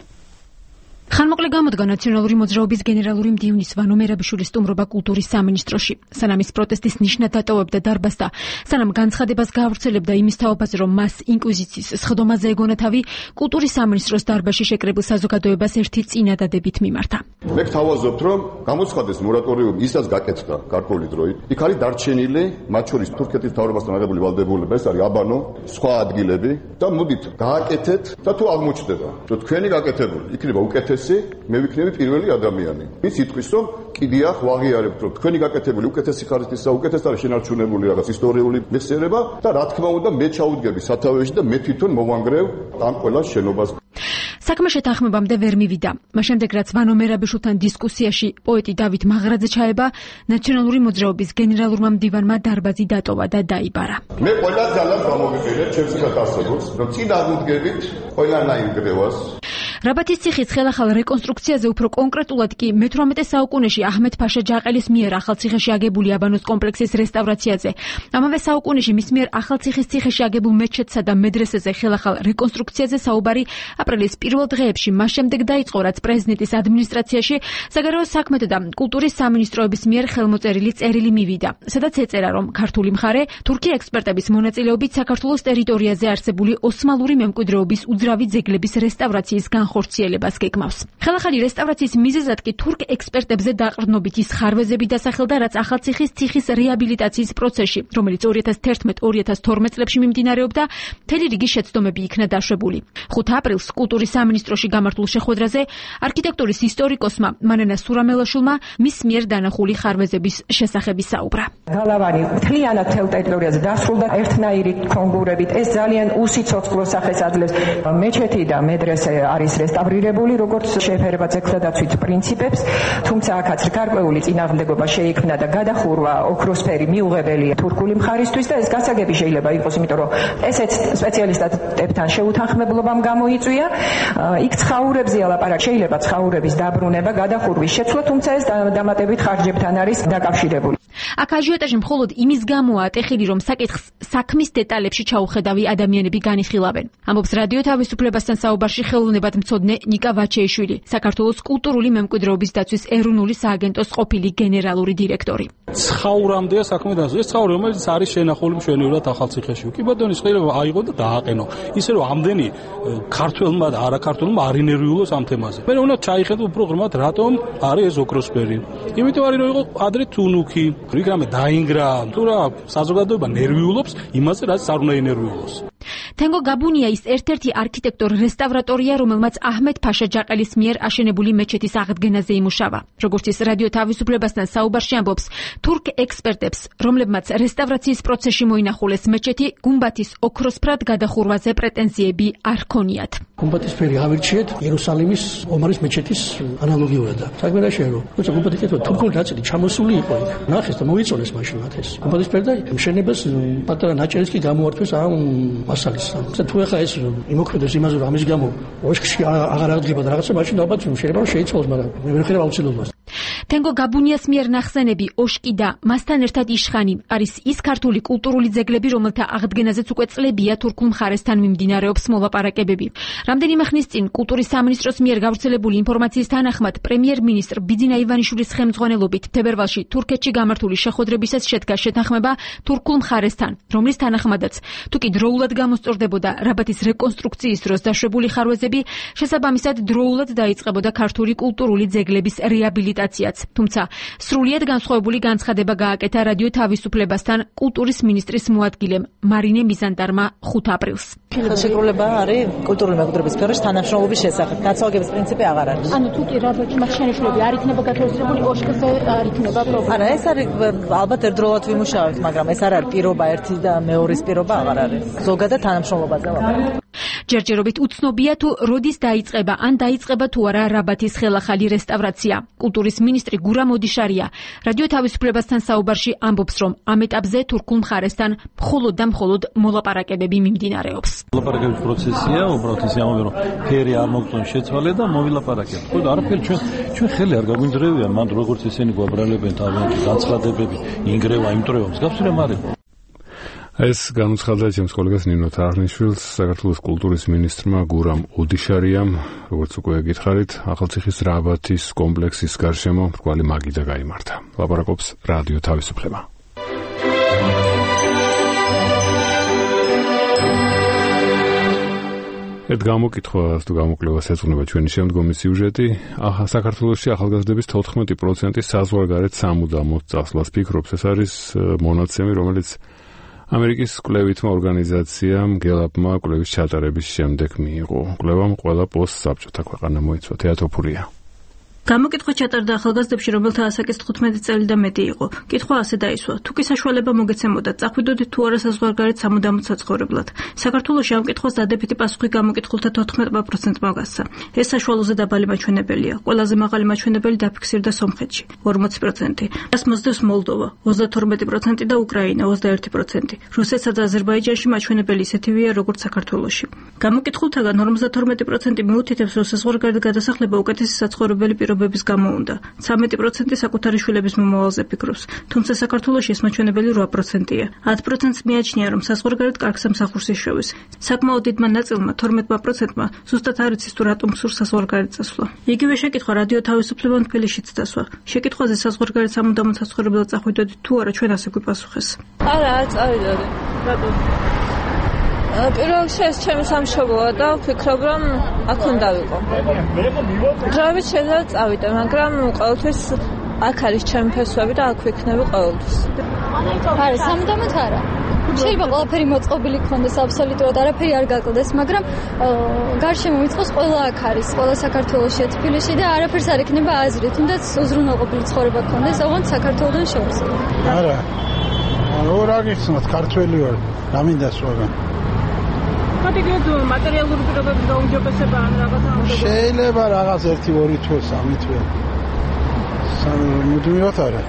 ხანმოკლე გამოდგა ნაციონალური მოძრაობის გენერალური მდივნის ვანო მერაბიშვილის სტუმრობა კულტურის სამინისტროში. სანამ ის პროტესტის ნიშნად დატოვებდა დარბაზს და სანამ განცხადებას გაავრცელებდა იმის თაობაზე, რომ მას ინკვიზიციის სხდომაზე ეგონა თავი, კულტურის სამინისტროს დარბაზში შეკრებილ საზოგადოებას ერთი წინადადებით მიმართა. მე გთავაზობთ, რომ გამოცხადეს მორატორიუმი, ისაც გაკეთდა გარკვეული დროით. იქ არის დარჩენილი, მათ შორის თურქეთის მთავრობასთან აღებული ვალდებულება, ეს არის აბანო, სხვა ადგილები და მოდით გააკეთეთ და თუ აღმოჩნდება, რომ თქვენი გაკეთებული იქნება უკეთესი, მე ვიქნები პირველი ადამიანი. ვის იტყვის, რომ კიდია ვაღიარებთ, რომ თქვენი გაკეთებული უკეთესი ხარისხის და უკეთეს არის შენარჩუნებული რაღაც ისტორიული მეხსიერება და რა თქმა უნდა მე ჩაუდგები სათავეში და მე თვითონ მოვანგრევ ამ ყველა შენობას. საქმე შეთანხმებამდე ვერ მივიდა. მას შემდეგ რაც ვანო მერაბიშვილთან დისკუსიაში პოეტი დავით მაღრაძე ჩაება, ნაციონალური მოძრაობის გენერალურმა მდივანმა დარბაზი დატოვა და დაიბარა. მე ყველა ძალას გამოვიყენებ ჩემს გასაგებს, რომ წინ აღმდგებით ყველანაირ გრევას. რაბათის ციხის ხელახალ რეკონსტრუქციაზე უფრო კონკრეტულად კი მეთვრამეტე საუკუნეში აჰმედ-ფაშა ჯაყელის მიერ ახალციხეში აგებული აბანოს კომპლექსის რესტავრაციაზე, ამავე საუკუნეში მის მიერ ახალციხის ციხეში აგებულ მეჩეთსა და მედრესეზე ხელახალ რეკონსტრუქციაზე საუბარი აპრილის პირველ დღეებში მას შემდეგ დაიწყო, რაც პრეზიდენტის ადმინისტრაციაში საგარეო საქმეთა და კულტურის სამინისტროების მიერ ხელმოწერილი წერილი მივიდა, სადაც ეწერა, რომ ქართული მხარე თურქი ექსპერტების მონაწილეობით საქართველოს ტერიტორიაზე არსებული ოსმალური მემკვიდრეობის უძრავი ძეგლების რესტავრაციის განხორციელებას გეგმავს. ხელახალი რესტავრაციის მიზეზად კი თურქ ექსპერტებზე დაყრდნობით ის ხარვეზები დასახელდა, რაც ახალციხის ციხის რეაბილიტაციის პროცესში, რომელიც ორი ათას თერთმეტ ორი ათას თორმეტ წლებში მიმდინარეობდა, მთელი რიგი შეცდომები იქნა დაშვებული. ხუთ აპრილს კულტურის სამინისტროში გამართულ შეხვედრაზე არქიტექტურის ისტორიკოსმა მანანა სურამელაშვილმა მის მიერ დანახული ხარვეზების შესახებ საუბრა. გალავანი მთლიანად თელ ტერიტორიაზე დასრულდა ერთნაირი კონგურებით. ეს ძალიან უსიცოცხლო სახეს აძლევს. მეჩეთი და მედრესე არის რესტავრირებული, როგორც შეეფერება ძეგლდაცვით პრინციპებს, თუმცა აქაც გარკვეული წინააღმდეგობა შეიქმნა და გადახურვა ოქროსფერი მიუღებელი თურქული მხარისთვის და ეს გასაგები შეიძლება იყოს, იმიტომ რომ ესეც სპეციალისტებთან შეუთანხმებლობამ გამოიწვია. იქ ცხაურებზეა ლაპარაკი, შეიძლება ცხაურების დაბრუნება, გადახურვის შეცვლა, თუმცა ეს დამატებით ხარჯებთან არის დაკავშირებული. აქ აჟიოტაჟი მხოლოდ იმის გამოა ატეხილი, რომ საკითხს საქმის დეტალებში ჩაუხედავი ადამიანები განიხილავენ. ამბობს რადიო თავისუფლებასთან საუბარში ხელოვნებად მცოდნე ნიკა ვაჩეიშვილი, საქართველოს კულტურული მემკვიდრეობის დაცვის ეროვნული სააგენტოს ყოფილი გენერალური დირექტორი. ცხაურამდეა საქმე და ეს ცხაური, რომელიც არის შენახული მშვენივრად ახალციხეში. კი ბატონო, შეიძლება აიღო და დააყენო. ისე რომ ამდენი ქართველმა და არაქართველმა არ ინერვიულოს ამ თემაზე. მე უნდა ჩაიხედო უფრო ღრმად, რატომ არის ეს ოქროსფერი. იმიტომ არის რომ იყო ადრე თუნუქი, რიგამე დაინგრა, თუ რა საზოგადოება ნერვიულობს იმაზე, რაც არ უნდა ინერვიულოს. თენგო გაბუნია ის ერთ-ერთი არქიტექტორ რესტავრატორია, რომელმაც აჰმედ-ფაშა ჯაყელის მიერ აშენებული მეჩეთის აღდგენაზე იმუშავა. როგორც ის რადიო თავისუფლებასთან საუბარში ამბობს, თურქ ექსპერტებს, რომლებმაც რესტავრაციის პროცესში მოინახულეს მეჩეთი, გუმბათის ოქროსფრად გადახურვაზე პრეტენზიები არ ქონიათ. გუმბათის ფერი ავირჩიეთ იერუსალიმის ომარის მეჩეთის ანალოგიურად. საქმე რა შეერო? თუმცა გუმბათი კეთება თურქული ნაწილი ჩამოსული იყო იქ. ნახეს და მოიწონეს მაშინ მათ ეს. გუმბათის ფერი და მშენებას პატარა ნაჭერიც კი გამოართვეს ამ მასალის. თუ ახლა ეს იმოქმედებს იმაზე, რომ ამის გამო ოშკში აღარ აღდგება და რაღაცა, მაშინ ალბათ შეიძლება შეიცვალოს, მაგრამ მე ვერ ხედავ აუცილებლობას. თენგო გაბუნიას მიერ ნახსენები ოშკი და მასთან ერთად იშხანი არის ის ქართული კულტურული ძეგლები, რომელთა აღდგენაზეც უკვე წლებია თურქულ მხარესთან მიმდინარეობს მოლაპარაკებები. რამდენიმე ხნის წინ კულტურის სამინისტროს მიერ გავრცელებული ინფორმაციის თანახმად პრემიერ-მინისტრ ბიძინა ივანიშვილის ხელმძღვანელობით თებერვალში თურქეთში გამართული შეხვედრებისას შედგა შეთანხმება თურქულ მხარესთან, რომლის თანახმადაც თუ კი დროულად გამოსწორდებოდა რაბათის რეკონსტრუქციის დროს დაშვებული ხარვეზები, შესაბამისად დროულად დაიწყებოდა ქართული კულტურული ძეგლების რეაბილიტაციაც, თუმცა სრულიად განსხვავებული განცხადება გააკეთა რადიო თავისუფლებასთან კულტურის მინისტრის მოადგილემ მარინე მიზანდარმა ხუთ აპრილს. ხელშეკრულება არის კულტურული მემკვიდრეობის სფეროში თანამშრომლობის შესახებ. განსხვავების პრინციპი აღარ არის. ანუ თუ კი რადიოჩი მათ შენიშვნები არ იქნება გათვალისწინებული, ოშკზე არ იქნება პრობლემა. არა, ეს არის ალბათ ერთდროულად ვიმუშავებთ, მაგრამ ეს არ არის პირობა ერთი და მეორის პირობა აღარ არის. ზოგადად თანამშრომლობაზე ვაპარაკობ. ჯერჯერობით უცნობია თუ როდის დაიწყება ან დაიწყება თუ არა რაბათის ხელახალი რესტავრაცია. კულტურის მინისტრი გურამ ოდიშარია რადიო თავისუფლებასთან საუბარში ამბობს, რომ ამ ეტაპზე თურქულ მხარესთან მხოლოდ და მხოლოდ მოლაპარაკებები მიმდინარეობს. მოლაპარაკების პროცესია, უბრალოდ ისე ამბობენ, რომ ფერი არ მოგწონს შეცვალე და მოვილაპარაკებთ. ხო, არაფერი ჩვენ ჩვენ ხელი არ გაგვინძრევია, მან როგორც ესენი გვაბრალებენ თავიანთი განცხადებები, ინგრევა, იმტრევა, მსგავსი რამ არის. ეს განუცხადა ჩემს კოლეგას ნინო თარხნიშვილს, საქართველოს კულტურის მინისტრმა გურამ ოდიშარიამ, როგორც უკვე გითხარით, ახალციხის რაბათის კომპლექსის გარშემო მრგვალი მაგიდა გაიმართა. ლაპარაკობს რადიო თავისუფლება. ერთ გამოკითხვას თუ გამოკვლევას ეძღვნება ჩვენი შემდგომი სიუჟეტი. ახლა საქართველოში ახალგაზრდების თოთხმეტი პროცენტი საზღვარგარეთ სამუდამოდ წასვლას ფიქრობს. ეს არის მონაცემი, რომელიც ამერიკის კვლევითმა ორგანიზაციამ გელაპმა კვლევის ჩატარების შემდეგ მიიღო. კვლევამ ყველა პოსტსაბჭოთა ქვეყანა მოიცვა. თეატოფურია. გამოკითხვა ჩატარდა ახალგაზრდებში, რომელთა ასაკის თხუთმეტი წელი და მეტი იყო. კითხვა ასე დაისვა: თუ კი საშუალება მოგეცემოდათ, წახვიდოდით თუ არა საზღვარგარეთ სამუდამოდ საცხოვრებლად. საქართველოში ამ კითხვას დადებითი პასუხი გამოკითხულთა თოთხმეტ პროცენტმა გასცა. ეს საშუალოზე დაბალი მაჩვენებელია. ყველაზე მაღალი მაჩვენებელი დაფიქსირდა სომხეთში ორმოცი პროცენტი. მას მოსდევს მოლდოვა ოცდათორმეტი პროცენტი და უკრაინა ოცდაერთი პროცენტი. რუსეთსა და აზერბაიჯანში მაჩვენებელი ისეთივეა, როგორც საქართველოში. გამოკითხულთაგან ორმოცდათორმეტი პროცენტი მიუთითებს, რომ საზღვარგარეთ გადასახლება უკეთესი საცხოვრებელი პირობების გამო უნდა. ცამეტი პროცენტი საკუთარი შვილების მომავალზე ფიქრობს, თუმცა საქართველოში ეს მაჩვენებელი რვა პროცენტია. ათ პროცენტს მიაჩნია, რომ საზღვარგარეთ კარგ სამსახურს იშოვეს. საკმაოდ დიდმა ნაწილმა, თორმეტ პროცენტმა, ზუსტად არ იცის თუ რატომ სურს საზღვარგარეთ წასვლა. იგივე შეკითხვა რადიო თავისუფლებამ თბილისშიც დასვა. შეკითხვაზე საზღვარგარეთ სამუდამოდ საცხოვრებლად წახვიდოდით თუ არა, ჩვენ ასე გვიპასუხეს. არა, არ წავიდოდი. რატომ? პირველ რიგში ეს ჩემი სამშობლოა და ვფიქრობ, რომ აქ უნდა ვიყო. დროებით შეიძლება წავიდე, მაგრამ ყოველთვის აქ არის ჩემი ფესვები და აქ ვიქნები ყოველთვის. არა, სამუდამოდ არა. შეიძლება ყველაფერი მოწყობილი გქონდეს, აბსოლუტურად არაფერი არ გაკლდეს, მაგრამ გარშემო მიწყოს ყველა აქ არის, ყველა საქართველოშია, თბილისში და არაფერს არ ექნება აზრით, თუნდაც უზრუნველყოფილი ცხოვრება გქონდეს, ოღონდ საქართველოსთან შორის. არა. რა გიხსნათ, ქართველი ვარ, რა მინდა სხვაგან. კატეგორიად მატერიალური პირობების გაუმჯობესება ან რაღაცა შეიძლება რაღაც ერთი ორი თვე სამი თვე მუდმივად არა.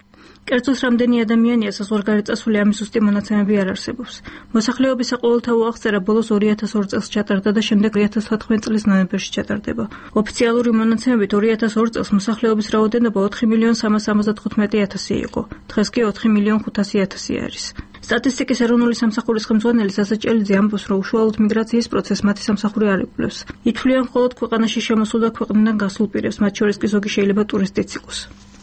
კერძოს რამდენი ადამიანია საზღვარგარეთ წასული, ამის ზუსტი მონაცემები არ არსებობს. მოსახლეობის საყოველთაო აღწერა ბოლოს ორი ათას ორ წელს ჩატარდა და შემდეგ ორი ათას თოთხმეტ წლის ნოემბერში ჩატარდება. ოფიციალური მონაცემებით ორი ათას ორ წელს მოსახლეობის რაოდენობა ოთხი მილიონ სამას ორმოცდახუთმეტი ათასი იყო. დღეს კი ოთხი მილიონ ხუთასი ათასი არის. სტატისტიკის ეროვნული სამსახურის ხელმძღვანელი სასაჭელიძე ამბობს, რომ უშუალოდ მიგრაციის პროცესს მათი სამსახური არ იკვლევს. ითვლიან მხოლოდ ქვეყანაში შემოსულ და ქვეყნიდან გასულ პირებს, მათ შორის კი ზოგი შეიძლება ტურისტიც იყოს.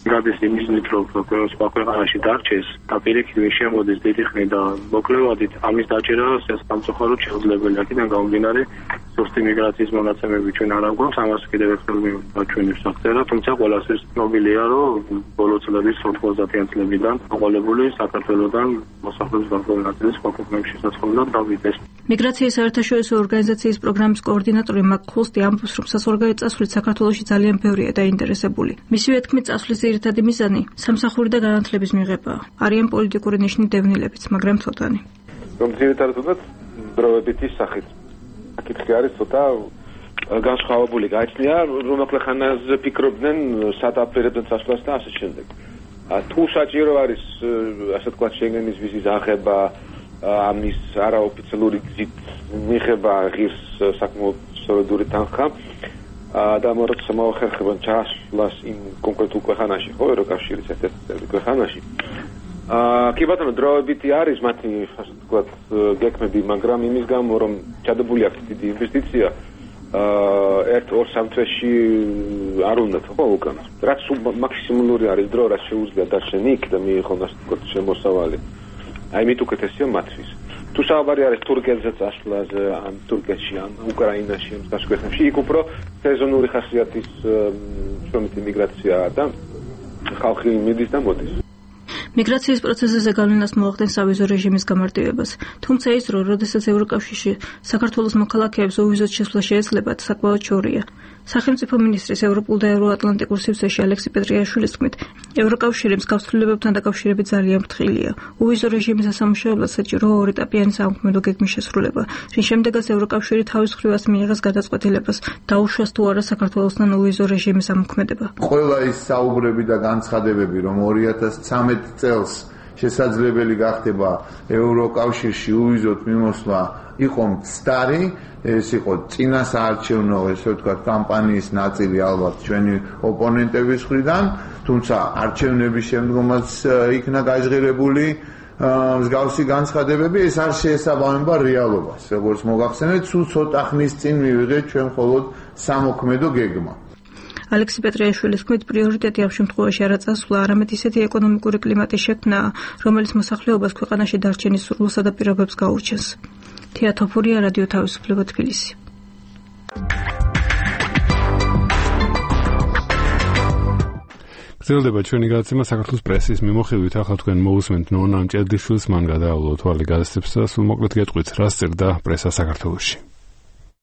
გადის იმის მით, რომ სხვა ქვეყანაში დარჩეს და პირიქით ვერ შემოდის დიდი ხნი და მოკლევადით ამის დაჭერა სამწუხაროდ შეუძლებელია. აქედან გამომდინარე, ზუსტი მიგრაციის მონაცემები ჩვენ არ აგვაქვს, ამას კიდევ ერთხელ მივაჩვენებს აღწერა, თუმცა ყველას ის ცნობილია, რომ ბოლო წლების ოთხმოცდაათიან წლებიდან აყოლებული საქართველოსთან მოსახლეობის გარკვეული ნაწილი სხვა ქვეყნებში საცხოვრებლად დავიდეს. მიგრაციის საერთაშორისო ორგანიზაციის პროგრამის კოორდინატორი მაკ ხულსტი ამბობს, რომ საზღვარგარეთ წასვლით საქართველოში ძალიან ბევრია დაინტერესებული. მისივე თქმით, წასვლის ძირითადი მიზანი სამსახური და განათლების მიღებაა. არიან პოლიტიკური ნიშნით დევნილებიც, მაგრამ ცოტანი. რომ ძირითადად უნდათ დროებითი სახით. აკითხი არის ცოტა განსხვავებული გაიცნია, რომ აკლახანაზე ფიქრობდნენ სათაფერებდნენ წასვლას და ასე შემდეგ. თუ საჭირო არის ასე თქვა შენგენის ვიზის აღება, ამის არაოფიციალური გზით მიღება ღირს საკმაოდ სწორედური თანხა და მოროცა მოახერხებენ ჩასვლას იმ კონკრეტულ ქვეყანაში, ხო, ევროკავშირის ერთ-ერთ ქვეყანაში. აა კი ბატონო, დროებითი არის მათი ასე ვთქვათ გექმები, მაგრამ იმის გამო რომ ჩადებული აქვს დიდი ინვესტიცია, აა ერთ-ორ სამ თვეში არ უნდა ხო უკან. რაც მაქსიმალური არის დრო, რაც შეუძლია დარჩენი იქ და მიიღონ ასე ვთქვათ შემოსავალი. აი მით უკეთესია მათთვის. თუ საუბარი არის თურქეთზე წასვლაზე, ან თურქეთში, ან უკრაინაში, ან გასკვეთებში, იქ უფრო სეზონური ხასიათის შრომითი მიგრაციაა და ხალხი მიდის და მოდის. მიგრაციის პროცესზე გავლენას მოახდენს სავიზო რეჟიმის გამარტივებას, თუმცა ის დრო, როდესაც ევროკავშირში საქართველოს მოქალაქეებს უვიზოდ შესვლა შეეძლებათ, საკმაოდ შორია. სახელმწიფო მინისტრის ევროპულ და ევროატლანტიკურ სივრცეში ალექსი პეტრიაშვილის თქმით, ევროკავშირი მსგავსლებებთან დაკავშირებით ძალიან ფრთხილია. უვიზო რეჟიმის ასამუშავებლად საჭირო ორეტაპიანი საქმედო გეგმის შესრულება, რის შემდეგაც ევროკავშირი თავის მხრივაც მიიღეს გადაწყვეტილებას, დაუშვას თუ არა საქართველოსთან უვიზო რეჟიმის ამოქმედება. ყველა ის საუბრები და განცხადებები, რომ ორი ათას ცხრამეტი წელს შესაძლებელი გახდება ევროკავშირში უვიზოდ მიმოსვლა იყო მცდარი, ეს იყო წინასაარჩევნო, ესე ვთქვათ, კამპანიის ნაწილი ალბათ ჩვენი ოპონენტების მხრიდან, თუმცა არჩევნების შემდგომაც იქნა გაჟღერებული მსგავსი განცხადებები, ეს არ შეესაბამება რეალობას. როგორც მოგახსენეთ, სულ ცოტა ხნის წინ მივიღეთ ჩვენ მხოლოდ სამოქმედო გეგმა. ალექსი პეტრიაშვილის თქმით, პრიორიტეტი ამ შემთხვევაში არა წასვლა, არამედ ისეთი ეკონომიკური კლიმატის შექმნა, რომელიც მოსახლეობას ქვეყანაში დარჩენის სურვილსა და პირობებს გაურჩენს. თია თოფურია, რადიო თავისუფლება, თბილისი. გრძელდება ჩვენი გადაცემა საქართველოს პრესის მიმოხილვით. ახლა თქვენ მოусმენთ ნონა მჭედლიშვილს, მან გადაავლო თვალი გაზეთებს და სულ მოკლედ გეტყვით, რა სწერდა პრესა საქართველოში.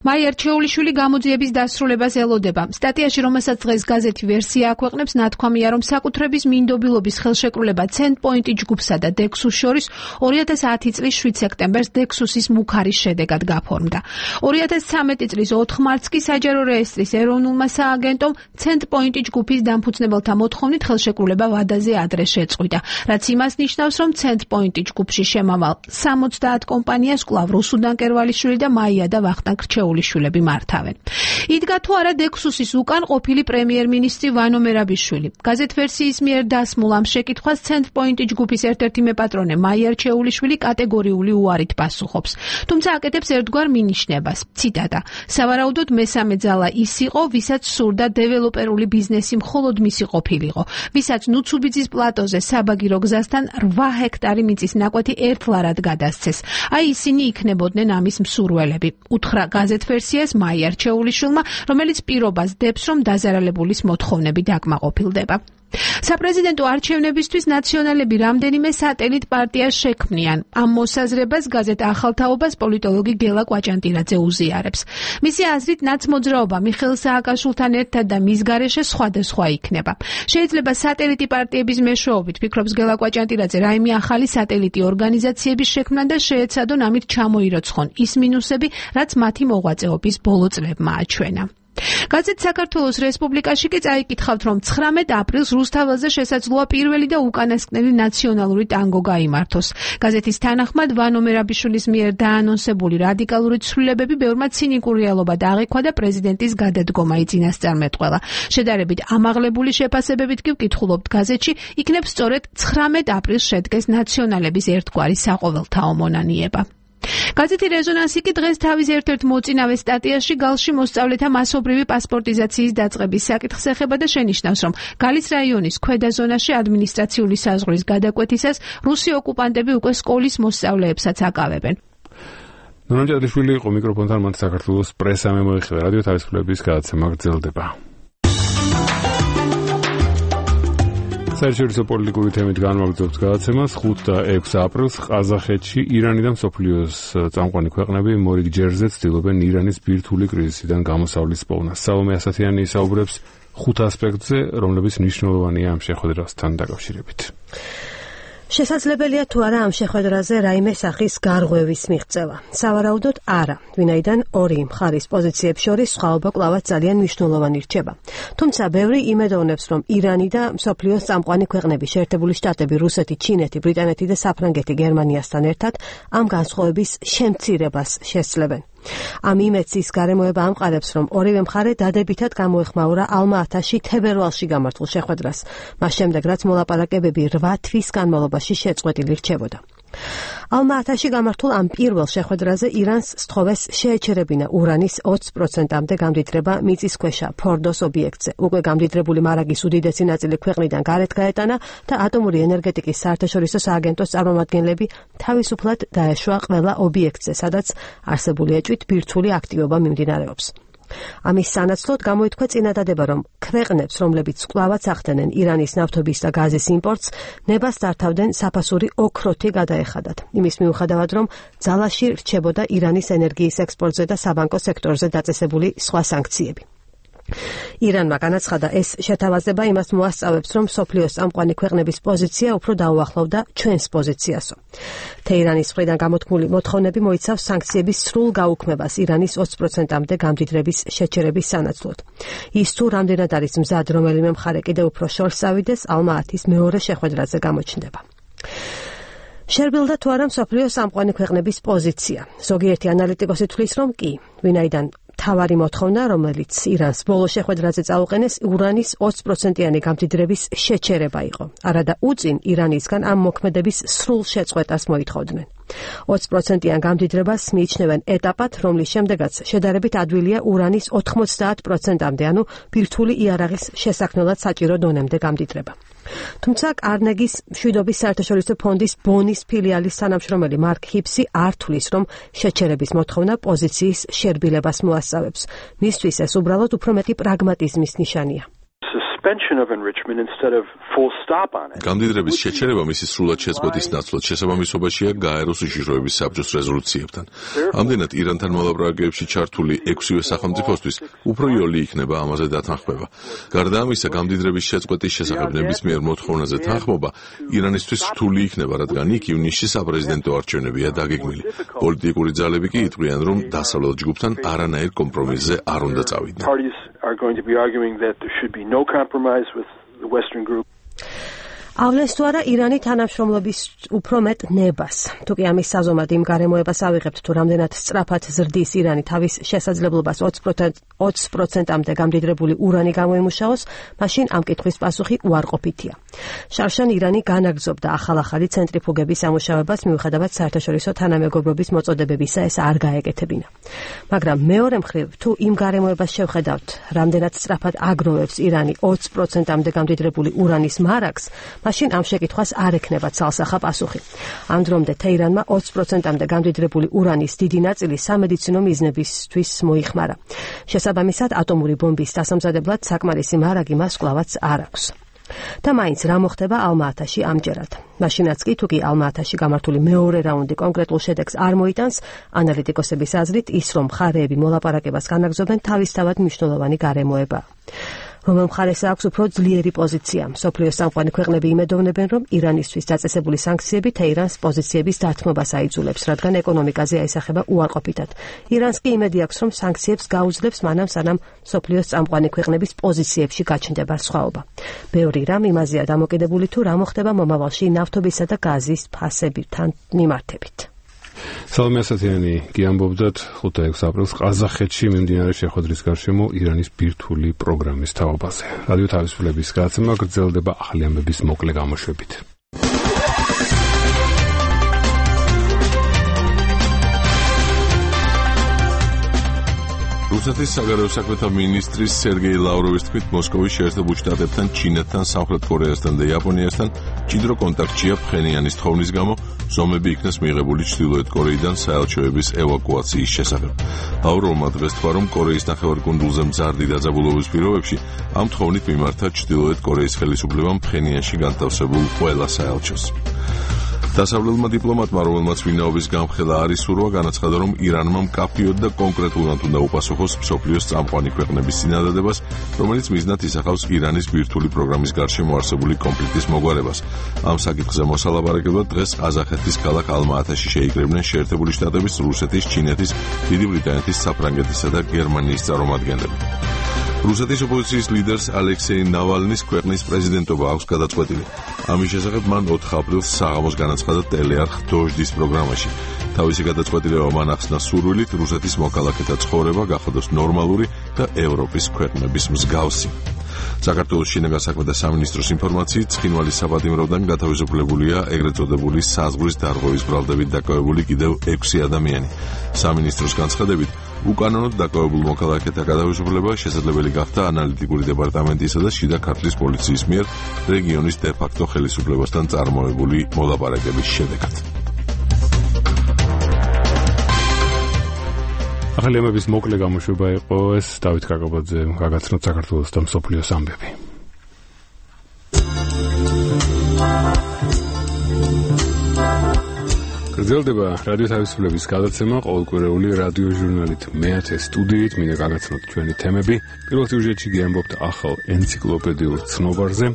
მაია რჩეულიშვილი გამოძიების დასრულებას ელოდება. სტატიაში, რომელსაც დღეს გაზეთი ვერსია აქვეყნებს, ნათქვამია, რომ საკუთრების მინდობილობის ხელშეკრულება ცენტპოინტი ჯგუფსა და დექსუს შორის ორი ათას ათი წლის შვიდ სექტემბერს დექსუსის მუქარის შედეგად გაფორმდა. ორი ათას ცხრამეტი წლის ოთხ მარტს კი საჯარო რეესტრის ეროვნულმა სააგენტომ ცენტპოინტი ჯგუფის დამფუძნებელთა მოთხოვნით ხელშეკრულება ვადაზე ადრე შეწყვიტა, რაც იმას ნიშნავს, რომ ცენტპოინტი ჯგუფში შემავალ სამოცდაათ კომპანიას კვლავ რუსუდან კერვალიშვილი და მაია და ვახტანგ რჩეულიშვილები მართავენ. იდგა თუ არა დექსუსის უკან ყოფილი პრემიერ-მინისტრი ვანო მერაბიშვილი. გაზეთ ვერსიის მიერ დასმულ ამ შეკითხვას ცენტპოინტი ჯგუფის ერთ-ერთი მეპატრონე მაია რჩეულიშვილი კატეგორიული უარით პასუხობს. თუმცა აკეთებს ერთგვარ მინიშნებას. ციტატა: სავარაუდოდ მესამე ძალა ის იყო, ვისაც სურდა დეველოპერული ბიზნესი მხოლოდ მისი ყოფილიყო, ვისაც ნუცუბიძის პლატოზე საბაგირო გზასთან რვა ჰექტარი მიწის ნაკვეთი ერთლარად გადასცეს. აი ისინი იქნებოდნენ ამის მსურველები. უთხრა გაზეთ ვერსიას მაია რჩეულიშვილმა, რომელიც პირობას დებს, რომ დაზარალებულის მოთხოვნები დაკმაყოფილდება. საპრეზიდენტო არჩევნებისთვის ნაციონალები რამდენიმე სატელიტ პარტიას შექმნიან. ამ მოსაზრებას გაზეთ ახალთაობას პოლიტოლოგი გელა კვაჭანტირაძე უზიარებს. მისი აზრით, ნაცმოძრაობა მიხეილ სააკაშვილთან ერთად და მის გარეშე სხვადასხვა იქნება. შეიძლება სატელიტი პარტიების მეშვეობით, ფიქრობს გელა კვაჭანტირაძე, რაიმე ახალი სატელიტი ორგანიზაციების შექმნა და შეეცადონ ამით ჩამოიროცხონ ის მინუსები, რაც მათი მოღვაწეობის ბოლო წლებმა აჩვენა. გაზეთ საქართველოს რესპუბლიკაში კი წაიკითხავთ, რომ ცხრამეტ აპრილს რუსთაველზე შესაძლოა პირველი და უკანასკნელი ნაციონალური ტანგო გაიმართოს. გაზეთის თანახმად, ვანო მერაბიშვილის მიერ დაანონსებული რადიკალური ცვლილებები ბევრმა ცინიკურ რეალობად აღიქვა და პრეზიდენტის გადადგომა იწინასწარმეტყველა. შედარებით ამაღლებული შეფასებებით კი ვკითხულობთ გაზეთში, იქნებ სწორედ ცხრამეტ აპრილს შედგეს ნაციონალების ერთგვარი საყოველთაო მონანიება. გაზეთი რეზონანსი კი დღეს თავის ერთ-ერთ მოწინავე სტატიაში გალში მოსწავლეთა მასობრივი პასპორტიზაციის დაწყების საკითხს ეხება და შენიშნავს, რომ გალის რაიონის ქვედა ზონაში ადმინისტრაციული საზღვრის გადაკვეთისას რუსი ოკუპანტები უკვე სკოლის მოსწავლეებსაც აკავებენ. ნონა მჭედლიშვილი იყო მიკროფონთან, მათ საქართველოს პრესა მემოიხილე. რადიო თავისუფლების გადაცემა გრძელდება. საერთაშორისო პოლიტიკური თემით განვაგრძობთ გადაცემას. ხუთ და ექვსი აპრილს ყაზახეთში ირანი და მსოფლიოს წამყვანი ქვეყნები მორიგ ჯერზე ცდილობენ ირანის ბირთვული კრიზისიდან გამოსავლის პოვნას. სალომე ასათიანი ისაუბრებს ხუთ ასპექტზე, რომლებიც მნიშვნელოვანია ამ შეხვედრასთან დაკავშირებით. შესაძლებელია თუ არა ამ შეხვედრაზე რაიმე სახის გარღვევის მიღწევა. სავარაუდოდ არა, ვინაიდან ორი მხარის პოზიციებს შორის სხვაობა კვლავაც ძალიან მნიშვნელოვანი რჩება. თუმცა ბევრი იმედოვნებს, რომ ირანი და მსოფლიოს წამყვანი ქვეყნები, შეერთებული შტატები, რუსეთი, ჩინეთი, ბრიტანეთი და საფრანგეთი გერმანიასთან ერთად ამ განსხვავების შემცირებას შესძლებენ. ამ იმედს ის გარემოება ამყარებს, რომ ორივე მხარე დადებითად გამოეხმაურა ალმა-ათაში თებერვალში გამართულ შეხვედრას, მას შემდეგ რაც მოლაპარაკებები რვა თვის განმავლობაში შეწყვეტილი რჩებოდა. ალმა-ათაში გამართულ ამ პირველ შეხვედრაზე ირანს სთხოვეს შეეჩერებინა ურანის ოცი პროცენტამდე გამდიდრება მიწისქვეშა ფორდოს ობიექტზე. უკვე გამდიდრებული მარაგის უდიდესი ნაწილი ქვეყნიდან გარეთ გაეტანა და ატომური ენერგეტიკის საერთაშორისო სააგენტოს წარმომადგენლები თავისუფლად დაეშვა ყველა ობიექტზე, სადაც არსებული ეჭვით ბირთვული აქტივობა მიმდინარეობს. ამის სანაცვლოდ გამოითქვა წინადადება, რომ ქვეყნებს, რომლებიც კვლავაც ახდენენ ირანის ნავთობის და გაზის იმპორტს, ნებას დართავდნენ საფასური ოქროთი გადაეხადათ. იმის მიუხედავად, რომ ძალაში რჩებოდა ირანის ენერგიის ექსპორტზე და საბანკო სექტორზე დაწესებული სხვა სანქციები. ირანმა განაცხადა, ეს შეთავაზება იმას მოასწავებს, რომ მსოფლიოს წამყვანი ქვეყნების პოზიცია უფრო დაუახლოვდა ჩვენს პოზიციასო. თეირანის მხრიდან გამოთქმული მოთხოვნები მოიცავს სანქციების სრულ გაუქმებას ირანის ოცი პროცენტამდე გამდიდრების შეჩერების სანაცვლოდ. ის თუ რამდენად არის მზად რომელიმე მხარე კიდევ უფრო შორს წავიდეს, ალმა-ათის მეორე შეხვედრაზე გამოჩნდება. შერბილდა თუ არა მსოფლიოს წამყვანი ქვეყნების პოზიცია. ზოგიერთი ანალიტიკოსი თვლის, რომ კი, ვინაიდან თავარი მოთხოვნა, რომელიც ირანს ბოლო შეხვედრაზე წაუყენეს, ურანის ოცი პროცენტიანი გამდიდრების შეჩერება იყო. არადა უწინ ირანისგან ამ მოქმედების სრულ შეწყვეტას მოითხოვდნენ. ოცი პროცენტიან გამდიდრებას მიიჩნევენ ეტაპად, რომლის შემდეგაც შედარებით ადვილია ურანის ოთხმოცდაათ პროცენტამდე, ანუ ბირთვული იარაღის შესაქმნელად საჭირო დონემდე გამდიდრება. თუმცა კარნეგის მშვიდობის საერთაშორისო ფონდის ბონის ფილიალის თანამშრომელი მარკ ჰიფსი არ თვლის, რომ შეჩერების მოთხოვნა პოზიციის შერბილებას მოასწავებს. მისთვის ეს უბრალოდ უფრო მეტი პრაგმატიზმის ნიშანია. გამდიდრების შეჩერება მისი სრულად შეწყვეტის ნაცვლად შესაბამისობაშია გაეროს უშიშროების საბჭოს რეზოლუციებთან. ამდენად ირანთან მოლაპარაკებებში ჩართული ექვსივე სახელმწიფოსთვის უფრო იოლი იქნება ამაზე დათანხმება. გარდა ამისა, გამდიდრების შეწყვეტის შესახებ ნებისმიერ მოთხოვნაზე თანხმობა ირანისთვის რთული იქნება, რადგან იქ ივნისში საპრეზიდენტო არჩევნებია დაგეგმილი. პოლიტიკური ძალები კი იტყვიან, რომ დასავლელ ჯგუფთან არანაირ კომპრომისზე არ უნდა წავიდნენ. are going to be arguing that there should be no compromise with the Western group. ავლენს თუ არა ირანი თანამშრომლობის უფრო მეტ ნებას. თუ კი ამის საზომად იმ გარემოებას ავიღებთ, თუ რამდენად სწრაფად ზრდის ირანი თავის შესაძლებლობას ოცი პროცენტამდე გამდიდრებული ურანი გამოიმუშაოს, მაშინ ამ კითხვის პასუხი უარყოფითია. შარშან ირანი განაგრძობდა ახალ-ახალი ცენტრიფუგების ამუშავებას, მიუხედავად საერთაშორისო თანამეგობრობის მოწოდებებისა, ეს არ გაეკეთებინა. მაგრამ მეორე მხრივ, თუ იმ გარემოებას შევხედავთ, რამდენად სწრაფად აგროვებს ირანი ოცი პროცენტამდე გამდიდრებული ურანის მარაგს, მაშინ ამ შეკითხვას არ ექნება ცალსახა პასუხი. ამ დრომდე თეირანმა ოცი პროცენტამდე გამდიდრებული ურანის დიდი ნაწილი სამედიცინო მიზნებისთვის მოიხმარა. შესაბამისად, ატომური ბომბის დასამზადებლად საკმარისი მარაგი მას კვლავაც არ აქვს. და მაინც რა მოხდება ალმა-ათაში ამჯერად. მაშინაც კი თუ კი ალმა-ათაში გამართული მეორე რაუნდი კონკრეტულ შედეგს არ მოიტანს, ანალიტიკოსების აზრით ის, რომ მხარეები მოლაპარაკებას განაგრძობენ, თავისთავად მნიშვნელოვანი გარემოება. რომელ მხარეს აქვს უფრო ძლიერი პოზიცია. მსოფლიოს წამყვანი ქვეყნები იმედოვნებენ, რომ ირანისთვის დაწესებული სანქციები თეირანს პოზიციების დათმობას აიძულებს, რადგან ეკონომიკაზე აისახება უარყოფითად. ირანს კი იმედი აქვს, რომ სანქციებს გაუძლებს მანამ სანამ მსოფლიოს წამყვანი ქვეყნების პოზიციებში გაჩნდება სხვაობა. ბევრი რამ იმაზეა დამოკიდებული, თუ რა მოხდება მომავალში ნავთობისა და გაზის ფასებთან მიმართებით. სალომე ასათიანი კი ამბობდათ ხუთი-ექვსი აპრილს ყაზახეთში მიმდინარე შეხვედრის გარშემო ირანის ბირთვული პროგრამის თაობაზე. რადიო თავისუფლების გადაცემა გრძელდება ახალი ამბების მოკლე გამოშვებით. რუსეთის საგარეო საქმეთა მინისტრის სერგეი ლავროვის თქმით, მოსკოვის შეერთებულ შტატებთან, ჩინეთთან, სამხრეთ კორეასთან და იაპონიასთან ჭიდრო კონტაქტშია ფხენიანის თხოვნის გამო, ზომები იქნეს მიღებული ჩრდილოეთ კორეიდან საელჩოების ევაკუაციის შესახებ. ლავროვმა დღეს თქვა, რომ კორეის ნახევარკუნძულზე მზარდი დაძაბულობის პირობებში ამ თხოვნით მიმართა ჩრდილოეთ კორეის ხელისუფლებამ ფხენიანში განთავსებულ ყველა საელჩოს. დასავლელმა დიპლომატმა, რომელმაც ვინაობის გამხელა არ ისურვა, განაცხადა, რომ ირანმა მკაფიოდ და კონკრეტულად უნდა უპასუხოს მსოფლიოს წამყვანი ქვეყნების წინადადებას, რომელიც მიზნად ისახავს ირანის ბირთვული პროგრამის გარშემო არსებული კონფლიქტის მოგვარებას. ამ საკითხზე მოსალაპარაკებლად დღეს ყაზახეთის ქალაქ ალმა-ათაში შეიკრიბნენ შეერთებული შტატების, რუსეთის, ჩინეთის, დიდი ბრიტანეთის, საფრანგეთისა და გერმანიის წარმომადგენლები. რუსეთის ოპოზიციის ლიდერს ალექსეი ნავალნის ქვეყნის პრეზიდენტობა აქვს გადაწყვეტილი. ამის შესახებ მან ოთხ აპრილს საღამოს განაცხადა ტელეარხ დოჟდის პროგრამაში. თავისი გადაწყვეტილება მან ახსნა სურვილით რუსეთის მოქალაქეთა ცხოვრება გახადოს ნორმალური და ევროპის ქვეყნების მსგავსი. საქართველოს შინაგან საქმეთა სამინისტროს ინფორმაციით, ცხინვალის საპატიმროდან გათავისუფლებულია ეგრეთ წოდებული საზღვრის დარღვევის ბრალდებით დაკავებული კიდევ ექვსი ადამიანი. სამინისტროს განცხადებით, უკანონოდ დაკავებულ მოქალაქეთა გათავისუფლება შესაძლებელი გახდა ანალიტიკური დეპარტამენტისა და შიდა ქართლის პოლიციის მიერ რეგიონის დე-ფაქტო ხელისუფლებასთან წარმოებული მოლაპარაკების შედეგად. ახალი ამბების მოკლე გამოშვება იყო ეს დავით კაკაბაძე გაგაცნოთ საქართველოს და მსოფლიოს ამბები. გრძელდება რადიო თავისუფლების გადაცემა ყოველკვირეული რადიო ჟურნალით მეათე სტუდიით მინდა გაგაცნოთ ჩვენი თემები. პირველ სიუჟეტში გიამბობთ ახალ ენციკლოპედიურ ცნობარზე,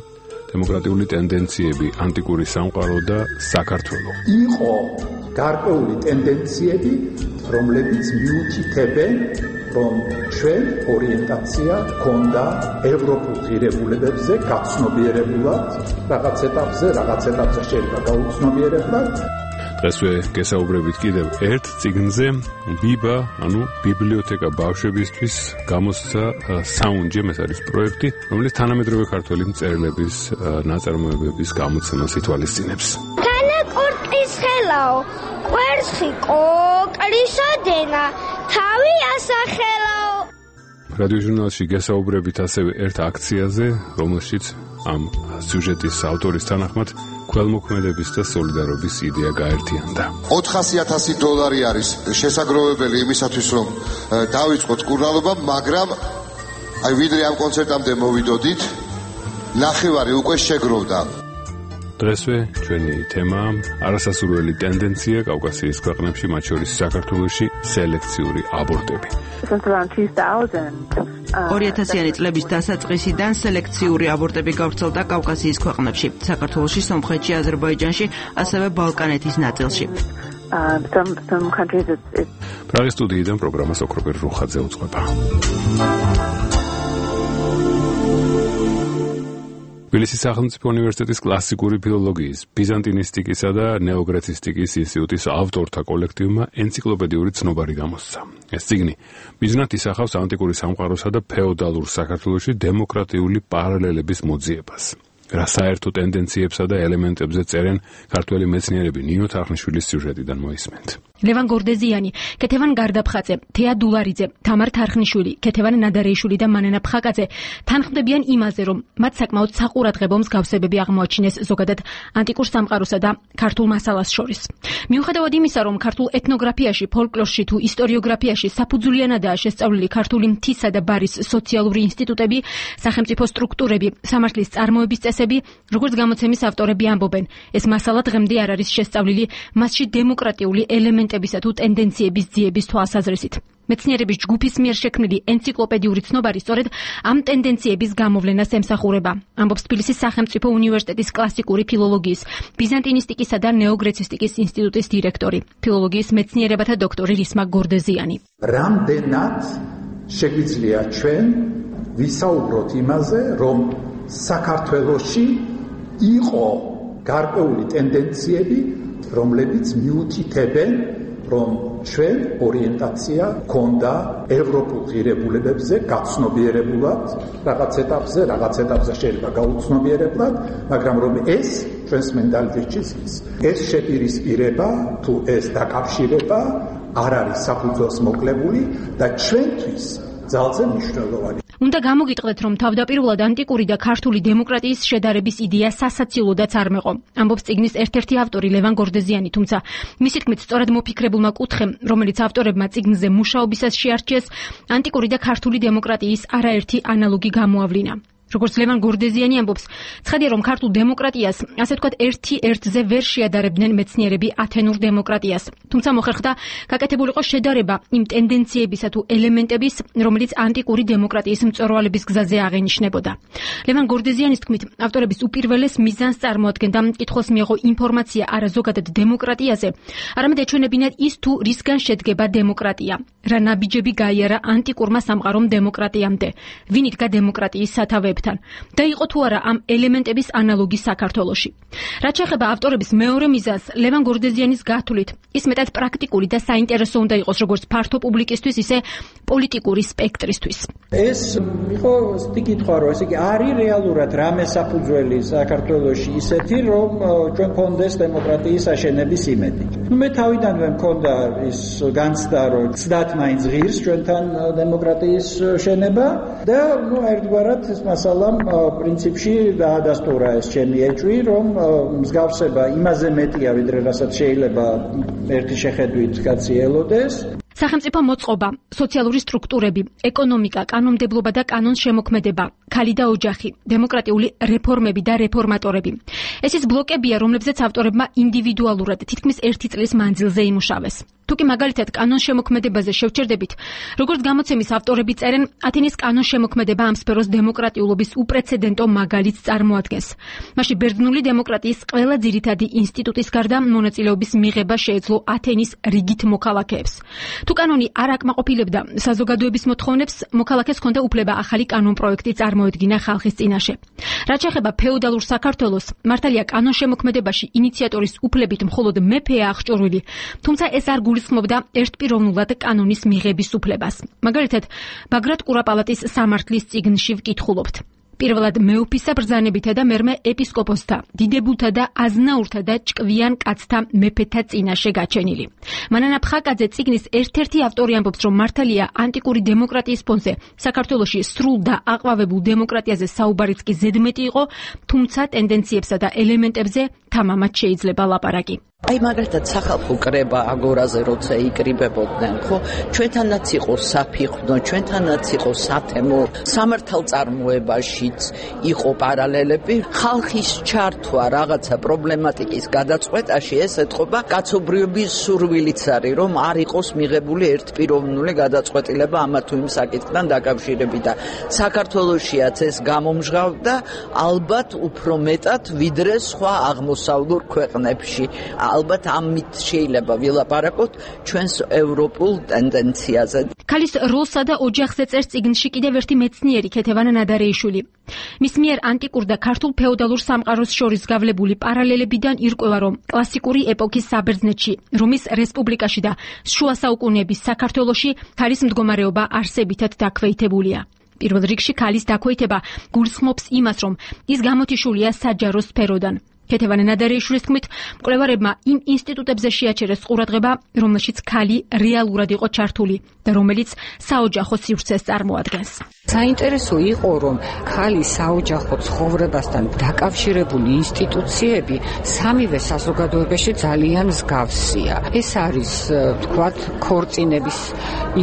დემოკრატიული ტენდენციები, ანტიკური სამყარო და საქართველო. იყო გარკვეული ტენდენციები, რომლებიც მიუთითებენ, რომ ჩვენ ორიენტაცია ჰქონდა ევროპულ ღირებულებებზე გაცნობიერებულად, რაღაც ეტაპზე, რაღაც ეტაპზე შეიძლება გაუცნობიერებლად. დღესვე გესაუბრებით კიდევ ერთ წიგნზე, ბიბა, ანუ ბიბლიოთეკა ბავშვებისთვის გამოსცა საუნჯემ, ეს არის პროექტი, რომელიც თანამედროვე ქართველი მწერლების ნაწარმოებების გამოცემას ითვალისწინებს. თანაკურტის ხელაო, კვერცხი კოკლისოდენა, თავი ასახელაო. რადიო ჟურნალში გესაუბრებით ასევე ერთ აქციაზე, რომელშიც ამ სიუჟეტის ავტორის თანახმად ქველმოქმედების და სოლიდარობის იდეა გაერთიანდა. ოთხასი ათასი დოლარი არის შესაძლებელი იმისათვის, რომ დავიწყოთ კურნალობა, მაგრამ აი ვიდრე ამ კონცერტამდე მოვიდოდით, ნახევარი უკვე შეგროვდა. დღესვე ჩვენი თემა არასასურველი ტენდენცია კავკასიის ქვეყნებში, მათ შორის საქართველოში, სელექციური აბორტები. ორი ათასიანი წლების დასაწყისიდან სელექციური აბორტები გავრცელდა კავკასიის ქვეყნებში, საქართველოში, სომხეთში, აზერბაიჯანში, ასევე ბალკანეთის ნაწილში. პრაღის სტუდიიდან პროგრამას ოქროპერ რუხაძე უძღვება. თბილისის სახელმწიფო უნივერსიტეტის კლასიკური ფილოლოგიის, ბიზანტინისტიკისა და ნეოგრეცისტიკის ინსტიტუტის ავტორთა კოლექტივმა ენციკლოპედიური ცნობარი გამოსცა. ეს წიგნი მიზნად ისახავს ანტიკური სამყაროსა და ფეოდალურ საქართველოში დემოკრატიული პარალელების მოძიებას. რა საერთო ტენდენციებსა და ელემენტებზე წერენ ქართველი მეცნიერები, ნინო თარხნიშვილის სიუჟეტიდან მოისმენთ. ლევან გორდეზიანი, კეთევან გარდაფხაძე, თეა დულარიძე, თამარ თარხნიშვილი, კეთევან ნადარეიშვილი და მანენა ფხაკაძე თანხმდებიან იმაზე, რომ მათ საკმაოდ საყურადღებო მსგავსებები აღმოაჩინეს ზოგადად ანტიკურ სამყაროსა და ქართულ მასალას შორის. მიუხედავად იმისა, რომ ქართულ ეთნოგრაფიაში, ფოლკლორში თუ ისტორიოგრაფიაში საფუძვლიანადაა შესწავლილი ქართული მთისა და ბარის სოციალური ინსტიტუტები, სახელმწიფო სტრუქტურები, სამართლის წარმოების წესები, როგორც გამოცემის ავტორები ამბობენ, ეს მასალა დღემდე არ არის შესწავლილი მასში დემოკრატიული ელემენტებისა თუ ტენდენციების ძიების თვალსაზრისით. მეცნიერების ჯგუფის მიერ შექმნილი ენციკლოპედიური ცნობარი სწორედ ამ ტენდენციების გამოვლენას ემსახურება, ამბობს თბილისის სახელმწიფო უნივერსიტეტის კლასიკური ფილოლოგიის, ბიზანტინისტიკისა და ნეოგრეცისტიკის ინსტიტუტის დირექტორი, ფილოლოგიის მეცნიერებათა დოქტორი რისმა გორდეზიანი. რამდენად შეგვიძლია ჩვენ ვისაუბროთ იმაზე, რომ საქართველოში იყო გარკვეული ტენდენციები, რომლებიც მიუთითებენ, რომ ჩვენ ორიენტაცია ჰქონდა ევროპულ ღირებულებებზე გაცნობიერებულად, რაღაც ეტაპზე, რაღაც ეტაპზე შეიძლება გაუცნობიერებლად, მაგრამ რომ ეს ჩვენს მენტალიტეტში ზის. ეს შეპირისპირება თუ ეს დაკავშირება არ არის საფუძველს მოკლებული და ჩვენთვის ძალზე მნიშვნელოვანი. უნდა გამოგიტყდეთ, რომ თავდაპირველად ანტიკური და ქართული დემოკრატიის შედარების იდეა სასაცილოდაც არ მეყო. ამბობს წიგნის ერთ-ერთი ავტორი ლევან გორდეზიანი, თუმცა მისი თქმით, სწორად მოფიქრებულმა კუთხემ, რომელიც ავტორებმა წიგნზე მუშაობისას შეარჩიეს, ანტიკური და ქართული დემოკრატიის არაერთი ანალოგი გამოავლინა. როგორც ლევან გორდეზიანი ამბობს, ცხადია, რომ ქართულ დემოკრატიას, ასე ვთქვათ, ერთი ერთზე ვერ შეადარებდნენ მეცნიერები ათენურ დემოკრატიას. თუმცა მოხერხდა გაკეთებულიყო შედარება იმ ტენდენციებისა თუ ელემენტების, რომელიც ანტიკური დემოკრატიის მწვერვალების გზაზე აღენიშნებოდა. ლევან გორდეზიანის თქმით, ავტორების უპირველეს მიზანს წარმოადგენდა მკითხველს მიეღო ინფორმაცია არა ზოგადად დემოკრატიაზე, არამედ ეჩვენებინათ ის თუ რისგან შედგება დემოკრატია, რა ნაბიჯები გაიარა ანტიკურმა სამყარომ დემოკრატიამდე, ვინ იდგა დემოკრატიის სათავეებთან და იყო თუ არა ამ ელემენტების ანალოგი საქართველოში. რაც შეეხება ავტორების მეორე მიზანს, ლევან გორდეზიანის გათვლით, ის მეტად პრაქტიკული და საინტერესო უნდა იყოს როგორც ფართო პუბლიკისთვის, ისე პოლიტიკური სპექტრისთვის. ეს იყო ისეთი კითხვა, რომ ესე იგი არის რეალურად რამე საფუძველი საქართველოში ისეთი, რომ ჩვენ გქონდეს დემოკრატიის აშენების იმედი. ნუ მე თავიდანვე მქონდა ის განცდა, რომ ცდათ მაინც ღირს ჩვენთან დემოკრატიის შენება და ნუ ერთგვარად ეს მასალამ პრინციპში დაადასტურა ეს ჩემი ეჭვი, რომ მსგავსება იმაზე მეტია, ვიდრე რასაც შეიძლება ერთი შეხედვით კაცი ელოდეს. სახელმწიფო მოწყობა, სოციალური სტრუქტურები, ეკონომიკა, კანონმდებლობა და კანონშემოქმედება, ქალი და ოჯახი, დემოკრატიული რეფორმები და რეფორმატორები. ეს ის ბლოკებია, რომლებზეც ავტორებმა ინდივიდუალურად თითქმის ერთი წლის მანძილზე იმუშავეს. თუკი მაგალითად კანონშემოქმედებაზე შევჩერდებით, როგორც გამოცემის ავტორები წერენ, ათენის კანონშემოქმედება ამ სფეროს დემოკრატიულობის უპრეცედენტო მაგალითს წარმოადგენს. მასში ბერძნული დემოკრატიის ყველა ძირითადი ინსტიტუტის გარდა მონაწილეობის მიღება შეეძლო ათენის რიგით მოქალაქეებს. თუ კანონი არ აკმაყოფილებდა საზოგადოების მოთხოვნებს, მოქალაქეს ჰქონდა უფლება ახალი კანონპროექტი წარმოედგინა ხალხის წინაშე. რაც შეეხება ფეოდალურ საქართველოს, მართალია კანონშემოქმედებაში ინიციატორის უფლებით მხოლოდ მეფეა აღჭურვილი, თუმცა ეს არ გულისხმობდა ერთპიროვნულად კანონის მიღების უფლებას. მაგალითად, ბაგრატ კურაპალატის სამართლის წიგნში ვკითხულობთ. პირველად მეუფისა ბრძანებითა და მერმე ეპისკოპოსთა, დიდებულთა და აზნაურთა და ჭკვიან კაცთა მეფეთა წინაშე გაჩენილი. მანანა ფხაკაძე წიგნის ერთ-ერთი ავტორი ამბობს, რომ მართალია ანტიკური დემოკრატიის ფონზე საქართველოში სრულ და აყვავებულ დემოკრატიაზე საუბარიც კი ზედმეტი იყო, თუმცა ტენდენციებსა და ელემენტებზე თამამად შეიძლება ლაპარაკი. აი მაგალითად სახალხო კრება აგორაზე როცა იკრიბებოდნენ, ხო, ჩვენთანაც იყო საფიხვნო, ჩვენთანაც იყო სათემო, სამართალწარმოებაშიც იყო პარალელები, ხალხის ჩართვა რაღაცა პრობლემატიკის გადაწყვეტაში ეს ეთყობა კაცობრიობის სურვილიც არის, რომ არ იყოს მიღებული ერთპიროვნული გადაწყვეტილება ამა თუ იმ საკითხთან დაკავშირებით და საქართველოშიაც ეს გამომჟღავდა ალბათ უფრო მეტად ვიდრე სხვა აღმოსავლურ ქვეყნებში. ალბათ ამით შეიძლება ვილაპარაკოთ ჩვენს ევროპულ ტენდენციაზე. ქალის როლსა და ოჯახზე წერს წიგნში კიდევ ერთი მეცნიერი ქეთევანა ნადარეიშვილი. მის მიერ ანტიკურ და ქართულ ფეოდალურ სამყაროს შორის გავლებული პარალელებიდან ირკვევა, რომ კლასიკური ეპოქის საბერძნეთში, რომის რესპუბლიკაში და შუა საუკუნეების საქართველოში ქალის მდგომარეობა არსებითად დაქვეითებულია. პირველ რიგში ქალის დაქვეითება გულისხმობს იმას, რომ ის გამოთიშულია საჯარო სფეროდან. ქეთევანა ნადარეიშვილის თქმით, მკვლევარებმა იმ ინსტიტუტებზე შეაჩერეს ყურადღება, რომელშიც ქალი რეალურად იყო ჩართული და რომელიც საოჯახო სივრცეს წარმოადგენს. საინტერესო იყო, რომ ქალის საოჯახო ცხოვრებასთან დაკავშირებული ინსტიტუციები სამივე საზოგადოებაში ძალიან მსგავსია. ეს არის, თქვათ, ქორწინების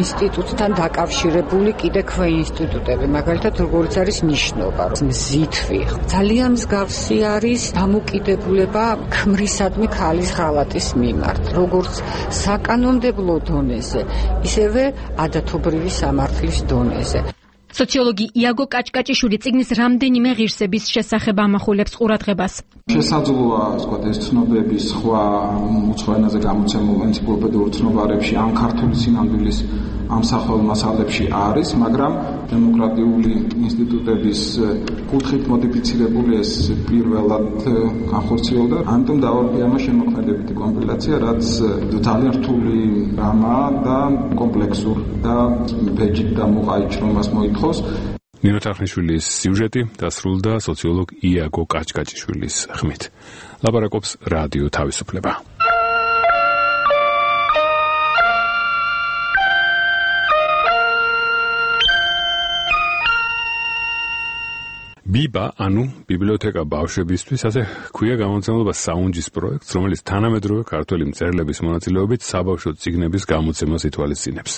ინსტიტუტთან დაკავშირებული კიდე ქვე ინსტიტუტები, მაგალითად, როგორც არის ნიშნობა, მზითვი. ძალიან მსგავსი არის დამოკიდებულება ქმრისადმი ქალის ღალატის მიმართ, როგორც საკანონმდებლო დონეზე, ისევე ადათობრივი სამართლის დონეზე. სოციოლოგი იაგო კაჭკაჭიშვილი წიგნის რამდენიმე ღირსების შესახებ ამახვილებს ყურადღებას. შესაძლოა, ვთქვათ, ეს ცნობები სხვა უცხო ენაზე გამოცემულ ენციკლოპედიურ ცნობარებში ან ქართული სინამდვილის ამსახველ მასალებში არის, მაგრამ დემოკრატიული ინსტიტუტების კუთხით მოდიფიცირებული ეს პირველად განხორციელდა. ამიტომ დავარქვი ამას შემოქმედებითი კომპილაცია, რაც ძალიან რთული რამაა და კომპლექსური და ბეჯით და მოყაიჩრომას მოითხოვს. ნინო თახნიშვილის სიუჟეტი დასრულდა სოციოლოგ იაგო კაჭკაჭიშვილის ხმით. ლაპარაკობს რადიო თავისუფლება. ბიბა, ანუ ბიბლიოთეკა ბავშვებისთვის, ასე ქვია გამოცემულობა საუნჯის პროექტს, რომელიც თანამედროვე ქართველი მწერლების მონაწილეობით საბავშვო წიგნების გამოცემას ითვალისწინებს.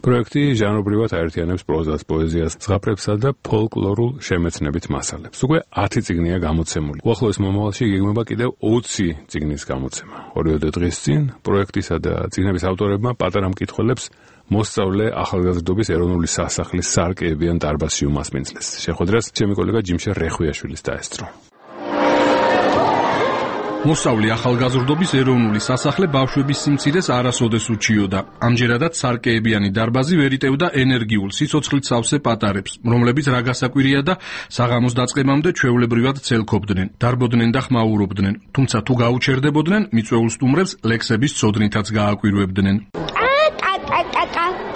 პროექტი ჟანრობრივად აერთიანებს პროზას, პოეზიას, ზღაპრებსა და ფოლკლორულ შემეცნებით მასალებს. უკვე ათი წიგნია გამოცემული. უახლოეს მომავალში იგეგმება კიდევ ოცი წიგნის გამოცემა. ორივე დღის წინ პროექტისა და წიგნების ავტორებმა პატარა მკითხველებს მოსწავლე ახალგაზრდობის ეროვნული სასახლის სარკეებიან დარბაზში უმასპინძლეს. შეხვედრას ჩემი კოლეგა ჯიმშე რეხვიაშვილის დაესწრო. მოსწავლე ახალგაზრდობის ეროვნული სასახლე ბავშვების სიმცირეს არასოდეს უჩიოდა. ამჯერადაც სარკეებიანი დარბაზი ვერ იტევდა ენერგიულ სიცოცხლით სავსე პატარებს, რომლებიც რა გასაკვირია და საღამოს დაწყებამდე ჩვეულებრივად ცელქობდნენ, დარბოდნენ და ხმაურობდნენ. თუმცა თუ გაუჩერდებოდნენ, მიწვეულ სტუმრებს ლექსების ცოდნითაც გააკვირვებდნენ.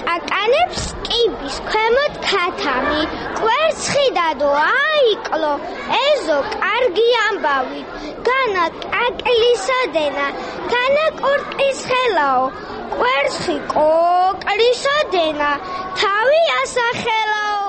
კაკანებს კიბის ქვემოთ ქათამი, კვერცხი დადო აიკლო, ეზო კარგი ამბავი, განა კაკლისოდენა, განა კურტის ხელაო, კვერცხი კოკლისოდენა, თავი ასახელაო.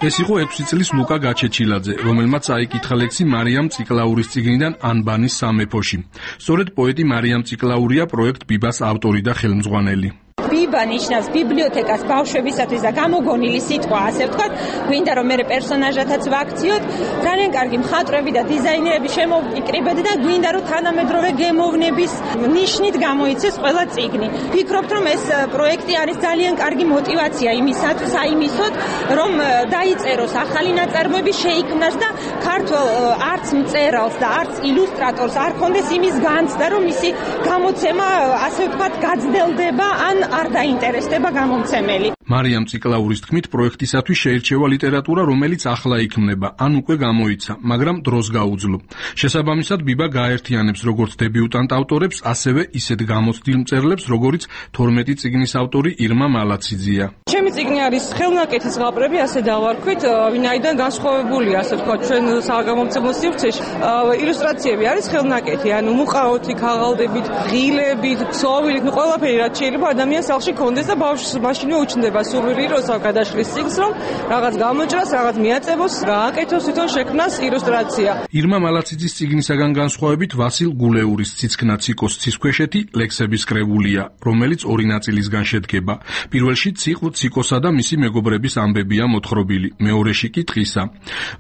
ეს იყო ექვსი წლის ლუკა გაჩეჩილაძე, რომელმაც აიკითხა ლექსი მარიამ წიკლაურის წიგნიდან ანბანის სამეფოში. სწორედ პოეტი მარიამ წიკლაურია პროექტ ბიბას ავტორი და ხელმძღვანელი. ბიბა ნიშნავს ბიბლიოთეკას ბავშვებისათვის და გამოგონილი სიტყვა, ასე ვთქვათ, გვინდა რომ მე პერსონაჟათაც ვაქციოთ, ძალიან კარგი მხატვრები და დიზაინერები შემოვიკრიბეთ და გვინდა რომ თანამედროვე გემოვნების ნიშნით გამოიცეს ყველა წიგნი. ვფიქრობთ რომ ეს პროექტი არის ძალიან კარგი мотиваცია იმისათვის, აიმისოთ, რომ დაიწეროს ახალი ნაწარმოები, შეიქმნას და ქართულ არც მწერალს და არც ილუსტრატორს არ ქონდეს იმის განცდა, რომ მისი გამოცემა, ასე ვთქვათ, გაძნელდება ან არ დაინტერესდება გამომცემელი. მარიამ ციკლაურის თქმით, პროექტისათვის შეირჩევა ლიტერატურა, რომელიც ახლა იქმნება, ან უკვე გამოიცა, მაგრამ დროს გაუძლო. შესაბამისად, ბიბა გაერთიანებს როგორც დებიუტანტ ავტორებს, ასევე ისეთ გამოცდილ მწერლებს, როგორიც თორმეტი წიგნის ავტორი ირმა მალაციძეა. ჩემი წიგნი არის ხელნაკეთის ზღაპრები, ასე დავარქვით, ვინაიდან განსხვავებულია, ასე ვთქვათ, ჩვენ საგამომცემლო სივრცეში. ილუსტრაციები არის ხელნაკეთი, ანუ მუყაოთი, ქაღალდებით, ღილებით, ქსოვილით, ნუ ყველაფერი რაც შეიძლება ადამიანს სახლში კონდეს და ბავშვს მაშინვე უჩნდება სურვილი, როცა გადაშლის წიგნს, რომ რაღაც გამოჭრას, რაღაც მიაწებოს, გააკეთოს, თვითონ შექმნას ილუსტრაცია. ირმა მალაციძის წიგნისაგან განსხვავებით, ვასილ გულეურის ციცქნა ციკოს ცისქვეშეთი ლექსების კრებულია, რომელიც ორი ნაწილისგან შედგება. პირველში ციყვ ციკოსა და მისი მეგობრების ამბებია მოთხრობილი, მეორეში კი ტყისა.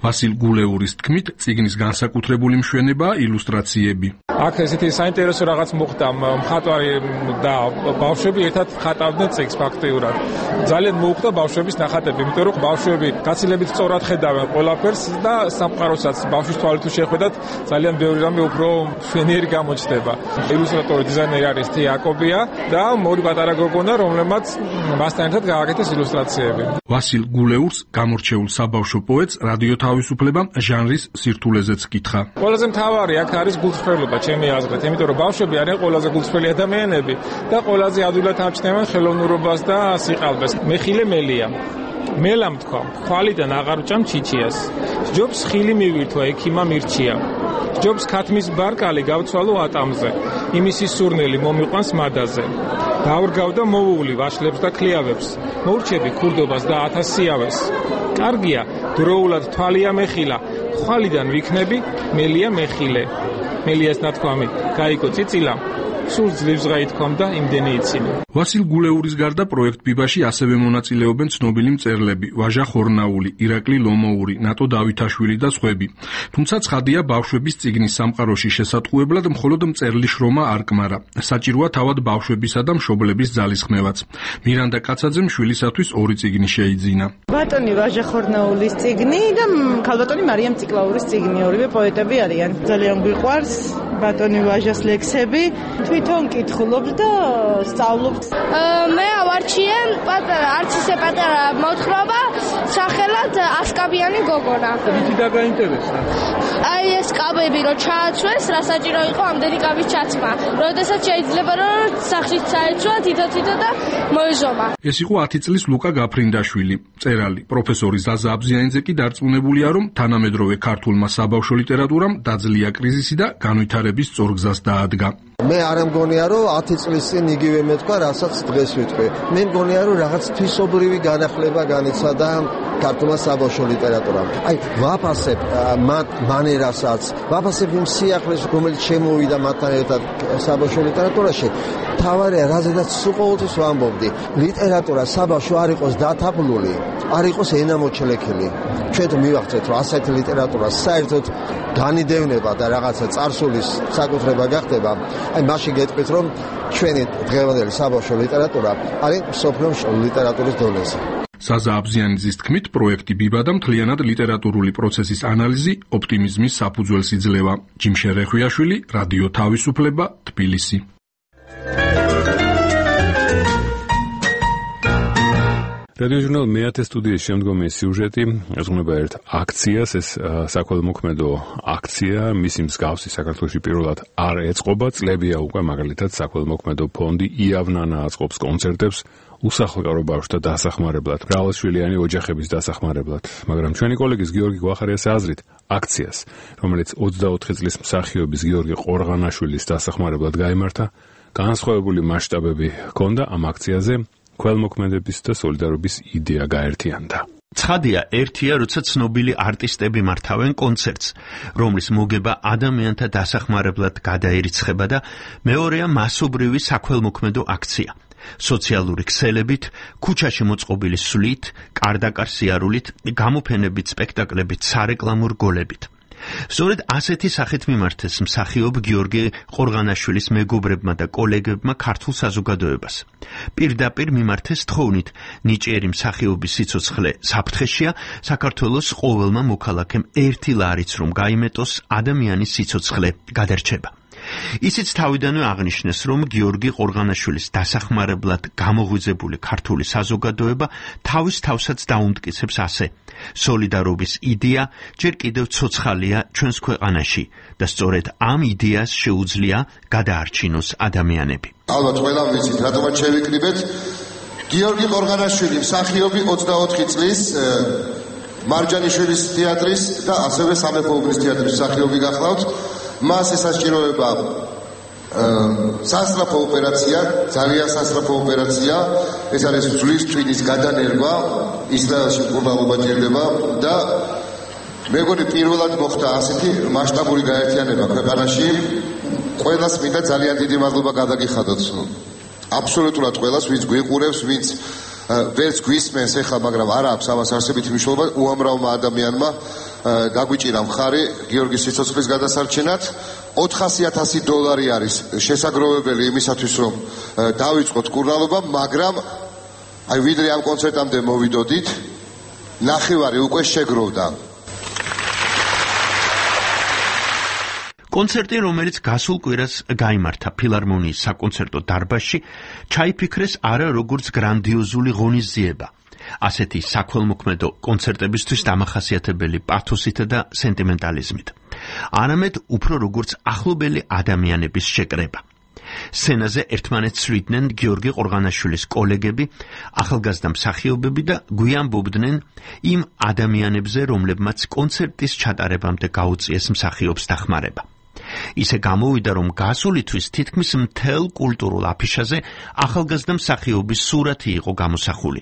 ვასილ გულეურის თქმით, წიგნის განსაკუთრებული მშვენებაა ილუსტრაციები. აქ ესეთი საინტერესო რაღაც მოხდა, მხატვარი და ბავშვები ერთად ხატავდნენ წიგნს ფაქტიურად. ძალიან მოუხდა ბავშვების ნახატები, იმიტომ რომ ბავშვები გაცილებით სწორად ხედავენ ყველაფერს და სამყაროსაც ბავშვის თვალით თუ შეხვედათ, ძალიან ბევრი რამე უფრო მშვენიერი გამოჩნდება. ილუსტრატორი დიზაინერი არის თი აკობია და მორი პატარა გოგონა, რომლებმაც მასთან ერთად გააკეთეს ილუსტრაციები. ვასილ გულეურს, გამორჩეულ საბავშვო პოეტს, რადიო თავისუფლებამ ჟანრის სირთულეზეც კითხა. ყველაზე მთავარი აქ არის გულწრფელობა, ჩემი აზრით, იმიტომ რომ ბავშვები არიან ყველაზე გულწრფელი ადამიანები და ყველაზე ადვილად ამჩნევენ ხელოვნურობას და სიყალბეს. მეხილე მელია. მელამ თქვა, ხვალიდან აღარ ვჭამ ჩიჩიას. ჯობს ხილი მივირთვა, ექიმა მირჩია. ჯობს ქათმის ბარკალი გავცვალო ატამზე. იმისი სურნელი მომიყვანს მადაზე. დავრგავ და მოუვლი ვაშლებს და ქლიავებს. მოურჩები ქურდობას და ათასიავეს. კარგია, დროულად თვალია მეხილა. ხვალიდან ვიქნები, მელია მეხილე. მელიას ნათქვამი, გაიგო წიწილა. სულ ძლივს გაითქვამდა იმდენი იცინი. ვასილ გულეურის გარდა პროექტ ბიბაში ასევე მონაწილეობენ ცნობილი მწერლები, ვაჟა ხორნაული, ირაკლი ლომოური, ნატო დავითაშვილი და სხვები. თუმცა ცხადია, ბავშვების წიგნის სამყაროში შესატყუებლად მხოლოდ მწერლის შრომა არ კმარა. საჭიროა თავად ბავშვებისა და მშობლების ძალისხმევაც. მირანდა კაცაძემ შვილისათვის ორი წიგნი შეიძინა. ბატონი ვაჟა ხორნაულის წიგნი და ქალბატონი მარიამ ციკლაურის წიგნი, ორივე პოეტები არიან. ძალიან გვიყვარს ბატონი ვაჟას ლექსები. თვითონ კითხულობ და სწავლობ. მე ავარჩიე პატარა, არც ისე პატარა მოთხრობა, სახელად ასკაბიანი გოგონა. რითი დაგაინტერესა? აი ეს კაბები რო ჩააცვეს, რა საჭირო იყო ამდენი კაბის ჩაცმა. როდესაც შეიძლება რომ სახლში წაეცვა თითო-თითო და მოეჟომა. ეს იყო ათი წლის ლუკა გაფრინდაშვილი, მწერალი. პროფესორი ზაზა აბზიანიძე კი დარწმუნებულია, რომ თანამედროვე ქართულმა საბავშვო ლიტერატურამ დაძლია კრიზისი და განვითარების სწორგზას დაადგა. მე არ მგონია რომ ათი წლის წინ იგივე მეთქვა, რასაც დღეს ვიტყვი. მე მგონია რომ რაღაც თვისობრივი განახლება განიცადა ქართულმა საბავშვო ლიტერატურამ. აი, ვაფასებ მათ მანერასაც, ვაფასებ იმ სიახლეს, რომელიც შემოვიდა მათთან ერთად საბავშვო ლიტერატურაში. თავარია, რაზედაც სულ ყოველთვის ვამბობდი, ლიტერატურა საბავშვო არ იყოს დათაბლული, არ იყოს ენამოჩლექილი. ჩვენ თუ მივახცეთ, რომ ასეთი ლიტერატურა საერთოდ განიდევნება და რაღაცა წარსულის საკუთრება გახდება, აი მაშინ გეტყვით, რომ ჩვენი დღევანდელი საბავშვო ლიტერატურა არის მსოფლიოს ლიტერატურის დონეზე. ზაზა აბზიანიძის თქმით, პროექტი ბიბა და მთლიანად ლიტერატურული პროცესის ანალიზი ოპტიმიზმის საფუძველს იძლევა. ჯიმშე რეხვიაშვილი, რადიო თავისუფლება, თბილისი. რადიო ჟურნალ მეათე სტუდიის შემდგომი სიუჟეტი ეძღვნება ერთ აქციას, ეს საქველმოქმედო აქცია, მისი მსგავსი საქართველოში პირველად არ ეწყობა, წლებია უკვე, მაგალითად საქველმოქმედო ფონდი იავნანა აწყობს კონცერტებს უსახლკარო ბავშვთა დასახმარებლად, მრავალშვილიანი ოჯახების დასახმარებლად, მაგრამ ჩვენი კოლეგის გიორგი გვახარიას აზრით, აქციას, რომელიც ოცდაოთხი წლის მსახიობის გიორგი ყორღანაშვილის დასახმარებლად გაიმართა, განსხვავებული მასშტაბები ჰქონდა ამ აქციაზე. ქველმოქმედების და სოლიდარობის იდეა გაერთიანდა. ცხადია, ერთია, როცა ცნობილი არტისტები მართავენ კონცერტს, რომლის მოგება ადამიანთა დასახმარებლად გადაერიცხება და მეორეა მასობრივი საქველმოქმედო აქცია. სოციალური ქსელებით, ქუჩაში მოწყობილი სვლით, კარდაკარ სიარულით, გამოფენებით, სპექტაკლებით, სარეკლამო რგოლებით. სწორედ ასეთი სახით მიმართეს მსახიობ გიორგი ყორღანაშვილის მეგობრებმა და კოლეგებმა ქართულ საზოგადოებას. პირდაპირ მიმართეს თხოვნით ნიჭიერი მსახიობის სიცოცხლე საფრთხეშია, საქართველოს ყოველმა მოქალაქემ ერთი ლარიც რომ გაიმეტოს, ადამიანის სიცოცხლე გადარჩება. ისიც თავიდანვე აღნიშნეს, რომ გიორგი ყორღანაშვილის დასახმარებლად გამოღვიძებული ქართული საზოგადოება თავის თავსაც დაუმტკიცებს ასე: სოლიდარობის იდეა ჯერ კიდევ ცოცხალია ჩვენს ქვეყანაში და სწორედ ამ იდეას შეუძლია გადაარჩინოს ადამიანები. ალბათ ყველა ვიცით, რატომაც შევიკრიბეთ. გიორგი ყორღანაშვილი მსახიობი ოცდაოთხი წლის მარჯანიშვილის თეატრის და ასევე სამეფო უბნის თეატრის მსახიობი გახლავთ. მას ესაჭიროება სასწრაფო ოპერაცია, ძალიან სასწრაფო ოპერაცია, ეს არის ძვლის ტვინის გადანერგვა, ისრაელში მკურნალობა ჭირდება და მეგონი პირველად მოხდა ასეთი მასშტაბური გაერთიანება ქვეყანაში. ყველას მინდა ძალიან დიდი მადლობა გადაგიხადოთ. აბსოლუტურად ყველას, ვინც გვიყურებს, ვინც ვერც გვისმენს ეხლა, მაგრამ არ აქვს ამას არსებითი მნიშვნელობა, უამრავმა ადამიანმა დაგვიჭირა მხარი გიორგის სიცოცხლის გადასარჩენად. ოთხასი ათასი დოლარი არის შესაგროვებელი იმისათვის, რომ დავიწყოთ მკურნალობა, მაგრამ აი ვიდრე ამ კონცერტამდე მოვიდოდით, ნახევარი უკვე შეგროვდა. კონცერტი, რომელიც გასულ კვირას გაიმართა ფილარმონიის საკონცერტო დარბაზში, ჩაიფიქრეს არა როგორც გრანდიოზული ღონისძიება, ასეთი საქველმოქმედო კონცერტებისთვის დამახასიათებელი პათოსით და სენტიმენტალიზმით, არამედ უფრო როგორც ახლობელი ადამიანების შეკრება. სცენაზე ერთმანეთს სვიდნენ გიორგი ყორღანაშვილის კოლეგები, ახალგაზრდა მსახიობები და გვიანბობდნენ იმ ადამიანებზე, რომლებმაც კონცერტის ჩატარებამდე გაუწიეს მსახიობს დახმარება. ისე გამოვიდა, რომ გასული თვის თითქმის მთელ კულტურულ აფიშაზე ახალგაზრდა მსახიობის სურათი იყო გამოსახული.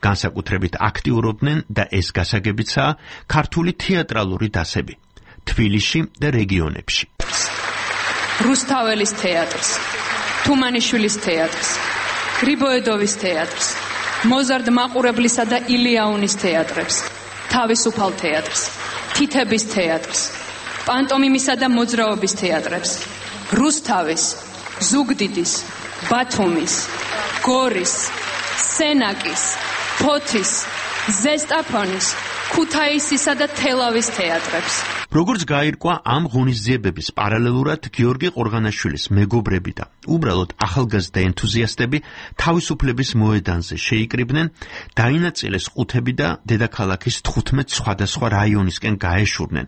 განსაკუთრებით აქტიურობდნენ და ეს გასაგებიცაა ქართული თეატრალური დასები თბილისში და რეგიონებში. რუსთაველის თეატრს, თუმანიშვილის თეატრს, გრიბოედოვის თეატრს, მოზარდ მაყურებლისა და ილიაუნის თეატრებს, თავისუფალ თეატრს, თითების თეატრს, პანტომიმისა და მოძრაობის თეატრებს, რუსთავის, ზუგდიდის, ბათუმის, გორის, სენაკის, ფოთის, ზესტაფონის, ქუთაისისა და თელავის თეატრებს. როგორც გაირკვა, ამ ღონისძიებების პარალელურად გიორგი ყორღანაშვილის მეგობრები და უბრალოდ ახალგაზრდა ენთუზიასტები თავისუფლების მოედანზე შეიკრიბნენ, დაინაწილეს ყუთები და დედაქალაქის თხუთმეტ სხვადასხვა რაიონისკენ გაეშურნენ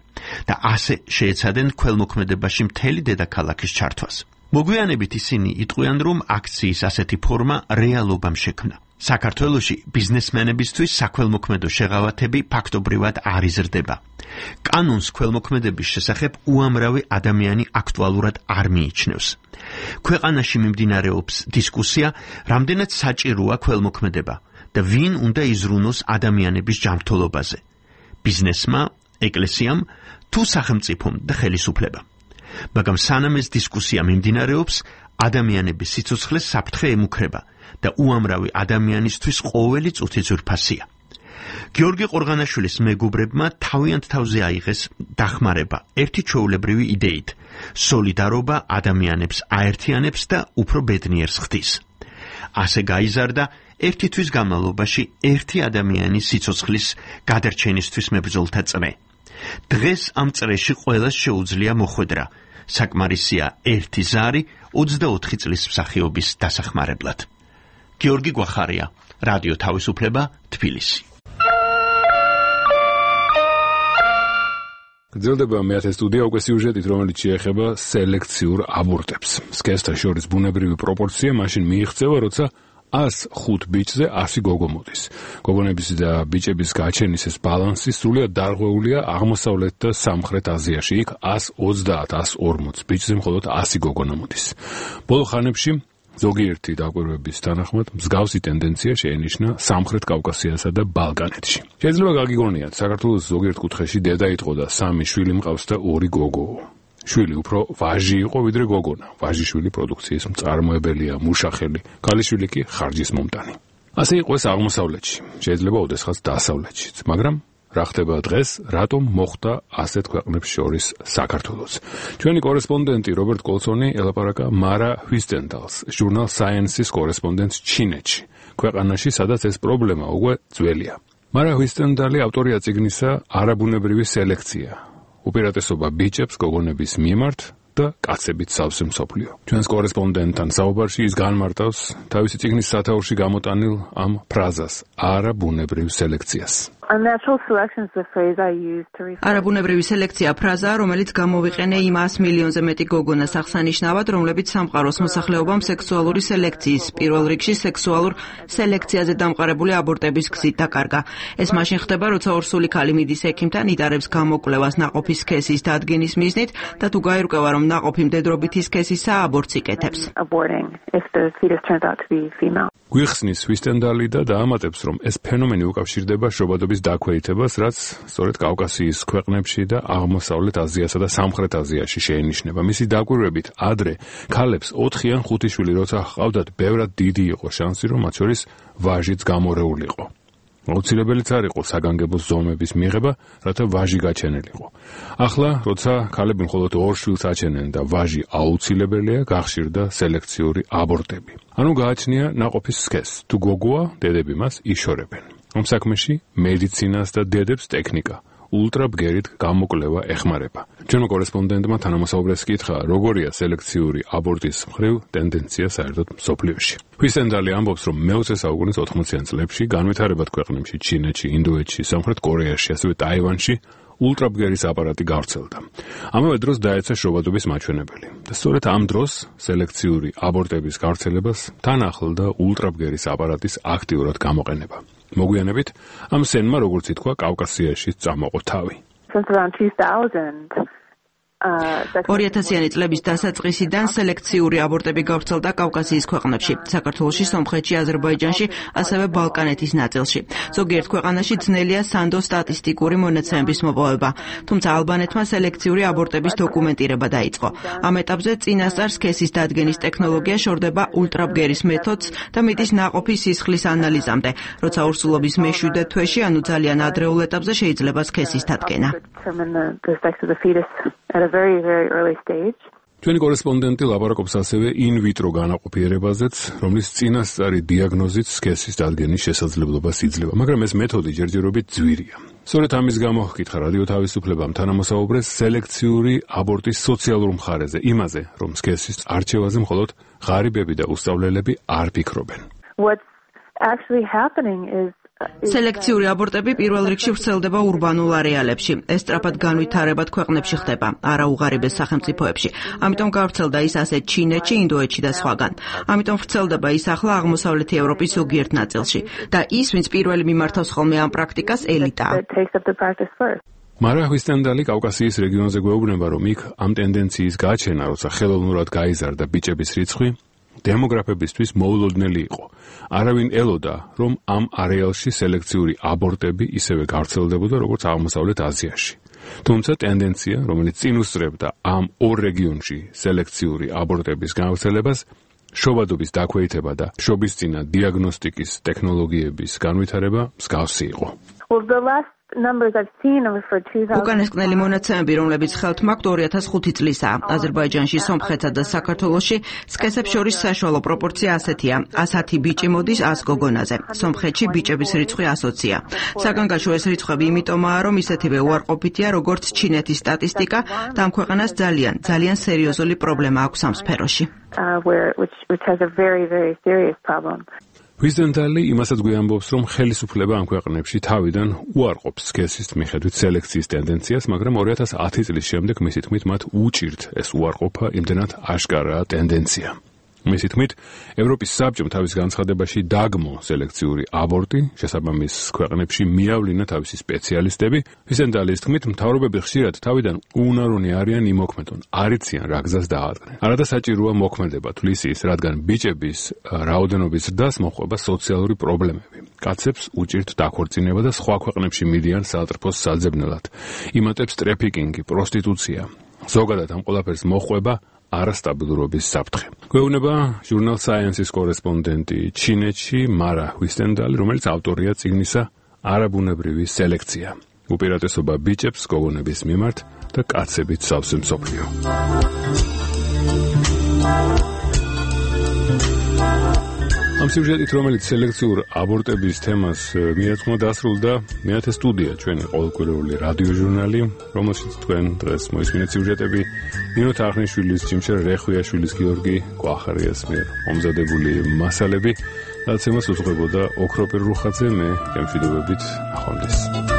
და ასე შეეცადნენ ქველმოქმედებაში მთელი დედაქალაქის ჩართვას. მოგვიანებით ისინი იტყვიან, რომ აქციის ასეთი ფორმა რეალობამ შექმნა. საქართველოში ბიზნესმენებისთვის საქველმოქმედო შეღავათები ფაქტობრივად არ იზრდება. კანონს ქველმოქმედების შესახებ უამრავი ადამიანი აქტუალურად არ მიიჩნევს. ქვეყანაში მიმდინარეობს დისკუსია, რამდენად საჭიროა ქველმოქმედება და ვინ უნდა იზრუნოს ადამიანების ჯანმრთელობაზე: ბიზნესმა, ეკლესიამ თუ სახელმწიფომ და ხელისუფლებამ. მაგრამ სანამ ეს დისკუსია მიმდინარეობს, ადამიანების სიცოცხლეს საფრთხე ემუქრება და უამრავი ადამიანისთვის ყოველი წუთი ძვირფასია. გიორგი ყორღანაშვილის მეგობრებმა თავიანთ თავზე აიღეს დახმარება ერთი ჩვეულებრივი იდეით: სოლიდარობა ადამიანებს აერთიანებს და უფრო ბედნიერს ხდის. ასე გაიზარდა ერთი თვის განმავლობაში ერთი ადამიანის სიცოცხლის გადარჩენისთვის მებრძოლთა წრე. დღეს ამ წრეში ყველას შეუძლია მოხვედრა. საკმარისია ერთი ზარი ოცდაოთხი წლის მსახიობის დასახმარებლად. გიორგი გვახარია, რადიო თავისუფლება, თბილისი. გრძელდება მეათე სტუდია უკვე სიუჟეტით, რომელიც შეეხება სელექციურ აბორტებს. სქესთა შორის ბუნებრივი პროპორცია მაშინ მიიღწევა, როცა ას ხუთ ბიჭზე ასი გოგო მოდის. გოგონების და ბიჭების გაჩენის ეს ბალანსი სრულიად დარღვეულია აღმოსავლეთ და სამხრეთ აზიაში. იქ ას ოცდაათ ას ორმოც ბიჭზე მხოლოდ ასი გოგონა მოდის. ბოლო ხანებში ზოგიერთი დაკვირვების თანახმად მსგავსი ტენდენცია შეენიშნა სამხრეთ კავკასიასა და ბალკანეთში. შეიძლება გაგიგონიათ, საქართველოს ზოგიერთ კუთხეში დედა იყო და სამი შვილი მყავს და ორი გოგო. შვილი უფრო ვაჟი იყო ვიდრე გოგონა. ვაჟიშვილი პროდუქციის მწარმოებელია, მუშახელი, ქალიშვილი კი ხარჯის მომტანი. ასე იყო ეს აღმოსავლეთში, შეიძლება ოდესღაც დასავლეთშიც, მაგრამ რა ხდება დღეს, რატომ მოხდა ასეთ ქვეყნებს შორის საქართველოს? ჩვენი კორესპონდენტი რობერტ კოლსონი ელაპარაკა მარა ჰვისტენდალს, ჟურნალ Science-ის კორესპონდენტს ჩინეთში, ქვეყანაში, სადაც ეს პრობლემა უკვე ძველია. მარა ჰვისტენდალი ავტორია წიგნისა არაბუნებრივი სელექცია. უპირატესობა ბიჭებს გოგონების მიმართ და კაცებით სავსე მსოფლიო. ჩვენს კორესპონდენტთან საუბარში ის განმარტავს თავისი წიგნის სათაურში გამოტანილ ამ ფრაზას არაბუნებრივ სელექციას. არაბუნებრივი სელექცია ფრაზაა, რომელიც გამოვიყენე იმას მილიონზე მეტი გოგონას აღსანიშნავად, რომლებიც სამყაროს მოსახლეობამ სექსუალური სელექციის, პირველ რიგში სექსუალურ სელექციაზე დამყარებული აბორტების გზით დაკარგა. ეს მაშინ ხდება, როცა ორსული ქალი მიდის ექიმთან, იტარებს გამოკვლევას ნაყოფის სქესის დადგენის მიზნით და თუ გაირკვევა, რომ ნაყოფი მდედრობითი სქესისაა, აბორტს იკეთებს. გვიხსნის ჰვისტენდალი და დაამატებს, რომ ეს ფენომენი უკავშირდება შობადობის დაქვეითებას, რაც სწორედ კავკასიის ქვეყნებში და აღმოსავლეთ აზიასა და სამხრეთ აზიაში შეინიშნება. მისი დაკვირვებით, ადრე ქალებს ოთხი ან ხუთი შვილი როცა ჰყავდათ, ბევრად დიდი იყო შანსი, რომ მათ შორის ვაჟიც გამორეულიყო. აუცილებელიც არ იყო საგანგებო ზომების მიღება, რათა ვაჟი გაჩენილიყო. ახლა, როცა ქალები მხოლოდ ორ შვილს აჩენენ და ვაჟი აუცილებელია, გახშირდა სელექციური აბორტები. ანუ გააჩნია ნაყოფის სქესს. თუ გოგოა, დედები მას იშორებენ. ამ საქმეში მედიცინას და დედებს ტექნიკა, ულტრაბგერით გამოკვლევა ეხმარება. ჩვენმა კორესპონდენტმა თანამოსაუბრეს კითხა, როგორია სელექციური აბორტის მხრივ ტენდენცია საერთოდ მსოფლიოში. ჰვისტენდალი ამბობს, რომ მეოცე საუკუნის ოთხმოციან წლებში განვითარებად ქვეყნებში, ჩინეთში, ინდოეთში, სამხრეთ კორეაში, ასევე ტაივანში ულტრაბგერის აპარატი გავრცელდა. ამავე დროს დაეცა შრობადობის მაჩვენებელი. და სწორედ ამ დროს სელექციური აბორტების გავრცელებას თან ახლდა ულტრაბგერის აპარატის აქტიურად გამოყენება. მოგვიანებით ამ სენმა, როგორც ითქვა, კავკასიაში წამოყო თავი. ორიათასიანი წლების დასაწყისიდან სელექციური აბორტები გავრცელდა კავკასიის ქვეყნებში, საქართველოში, სომხეთში, აზერბაიჯანში, ასევე ბალკანეთის ნაწილში. ზოგიერთ ქვეყანაში ძნელია სანდო სტატისტიკური მონაცემების მოპოვება, თუმცა ალბანეთმა სელექციური აბორტების დოკუმენტირება დაიწყო. ამ ეტაპზე წინასწარ სქესის დადგენის ტექნოლოგია შორდება ულტრაბგერის მეთოდს და მიდის ნაყოფის სისხლის ანალიზამდე, როცა ორსულობის მეშვიდე თვეში, ანუ ძალიან ადრეულ ეტაპზე შეიძლება სქესის დადგენა. At a very, very early stage. ჩვენი კორესპონდენტი ლაპარაკობს ასევე ინ-ვიტრო განაყოფიერებაზეც, რომლის წინასწარი დიაგნოზით სქესის დადგენის შესაძლებლობას იძლევა, მაგრამ ეს მეთოდი ჯერჯერობით ძვირია. სწორედ ამის გამო ჰკითხა რადიო თავისუფლებამ თანამოსაუბრეს სელექციური აბორტის სოციალურ მხარეზე, იმაზე, რომ სქესის არჩევაზე მხოლოდ ღარიბები და უსწავლელები არ ფიქრობენ. What's actually happening is სელექციური აბორტები პირველ რიგში ვრცელდება ურბანულ არეალებში. ეს სწრაფად განვითარებად ქვეყნებში ხდება, არა უღარიბეს სახელმწიფოებში. ამიტომ გავრცელდა ის ასეთ ჩინეთში, ინდოეთში და სხვაგან. ამიტომ ვრცელდება ის ახლა აღმოსავლეთი ევროპის ზოგიერთ ნაწილში. და ის, ვინც პირველი მიმართავს ხოლმე ამ პრაქტიკას, ელიტაა. მარა ჰვისტენდალი კავკასიის რეგიონზე გვეუბნება, რომ იქ ამ ტენდენციის გაჩენა, როცა ხელოვნურად გაიზარდა ბიჭების რიცხვი, დემოგრაფებისთვის მოულოდნელი იყო. არავინ ელოდა, რომ ამ არეალში სელექციური აბორტები ისევე გავრცელდებოდა, როგორც აღმოსავლეთ აზიაში. თუმცა ტენდენცია, რომელიც წინ უსწრებდა ამ ორ რეგიონში სელექციური აბორტების გავრცელებას, შობადობის დაქვეითება და შობისწინა დიაგნოსტიკის ტექნოლოგიების განვითარება მსგავსი იყო. Well, the last numbers I've seen are for two thousand. უკანასკნელი მონაცემები, რომლებიც ხელთ მაქვს ორი ათას ხუთი წლისაა. აზერბაიჯანში, სომხეთსა და საქართველოში სქესებს შორის საშუალო პროპორცია ასეთია: ასი ბიჭი მოდის ას გოგონაზე. სომხეთში ბიჭების რიცხვი ასოცია. საგანგაშო ეს რიცხვები იმიტომაა, რომ ისეთივე უარყოფითია, როგორც ჩინეთის სტატისტიკა და ამ ქვეყანას ძალიან, ძალიან სერიოზული პრობლემა აქვს ამ სფეროში. Uh, where which which has a very very serious problem. ჰვისტენდალი იმასაც გვიამბობს, რომ ხელისუფლება ამ ქვეყნებში თავიდან უარყოფს სქესის მიხედვით სელექციის ტენდენციას, მაგრამ ორი ათას ათი წლის შემდეგ მისი თქმით მათ უჭირთ ეს უარყოფა, იმდენად აშკარაა ტენდენცია. მისი თქმით, ევროპის საბჭომ თავის განცხადებაში დაგმო სელექციური აბორტი, შესაბამის ქვეყნებში მიავლინა თავისი სპეციალისტები. ჰვისტენდალის თქმით, მთავრობები ხშირად თავიდან უუნარონი არიან იმოქმედონ, არ იციან რა გზას დაადგნენ. არადასაჭიროა მოქმედება თვლის ის, რადგან ბიჭების რაოდენობის ზრდას მოჰყვება სოციალური პრობლემები. კაცებს უჭირთ დაქორწინება და სხვა ქვეყნებში მიდიან საალწრფოს საძებნელად. იმატებს ტრეფიკინგი, პროსტიტუცია. ზოგადად ამ ყველაფერს მოყვება არასტაბილურობის საფრთხე. გვეუბნება ჟურნალ Science-ის კორესპონდენტი ჩინეთში მარა ჰვისტენდალი, რომელიც ავტორია წიგნისა არაბუნებრივი სელექცია. უპირატესობა ბიჭებს გოგონების მიმართ და კაცებით სავსე მსოფლიო. ამ სიუჟეტით, რომელიც სელექციურ აბორტების თემას მიეძღვნა, დასრულდა მეათე სტუდია, ჩვენი ყოველკვირეული რადიოჟურნალი, რომელშიც თქვენ დღეს მოისმინეთ სიუჟეტები ნინო თახნიშვილის, ჯიმშერ რეხვიაშვილის, გიორგი კვახარიას მიერ მომზადებული მასალები, რაც ემას უძღვებოდა ოქროპირ რუხაძე, მე გემშვიდობებით, ნახვამდის.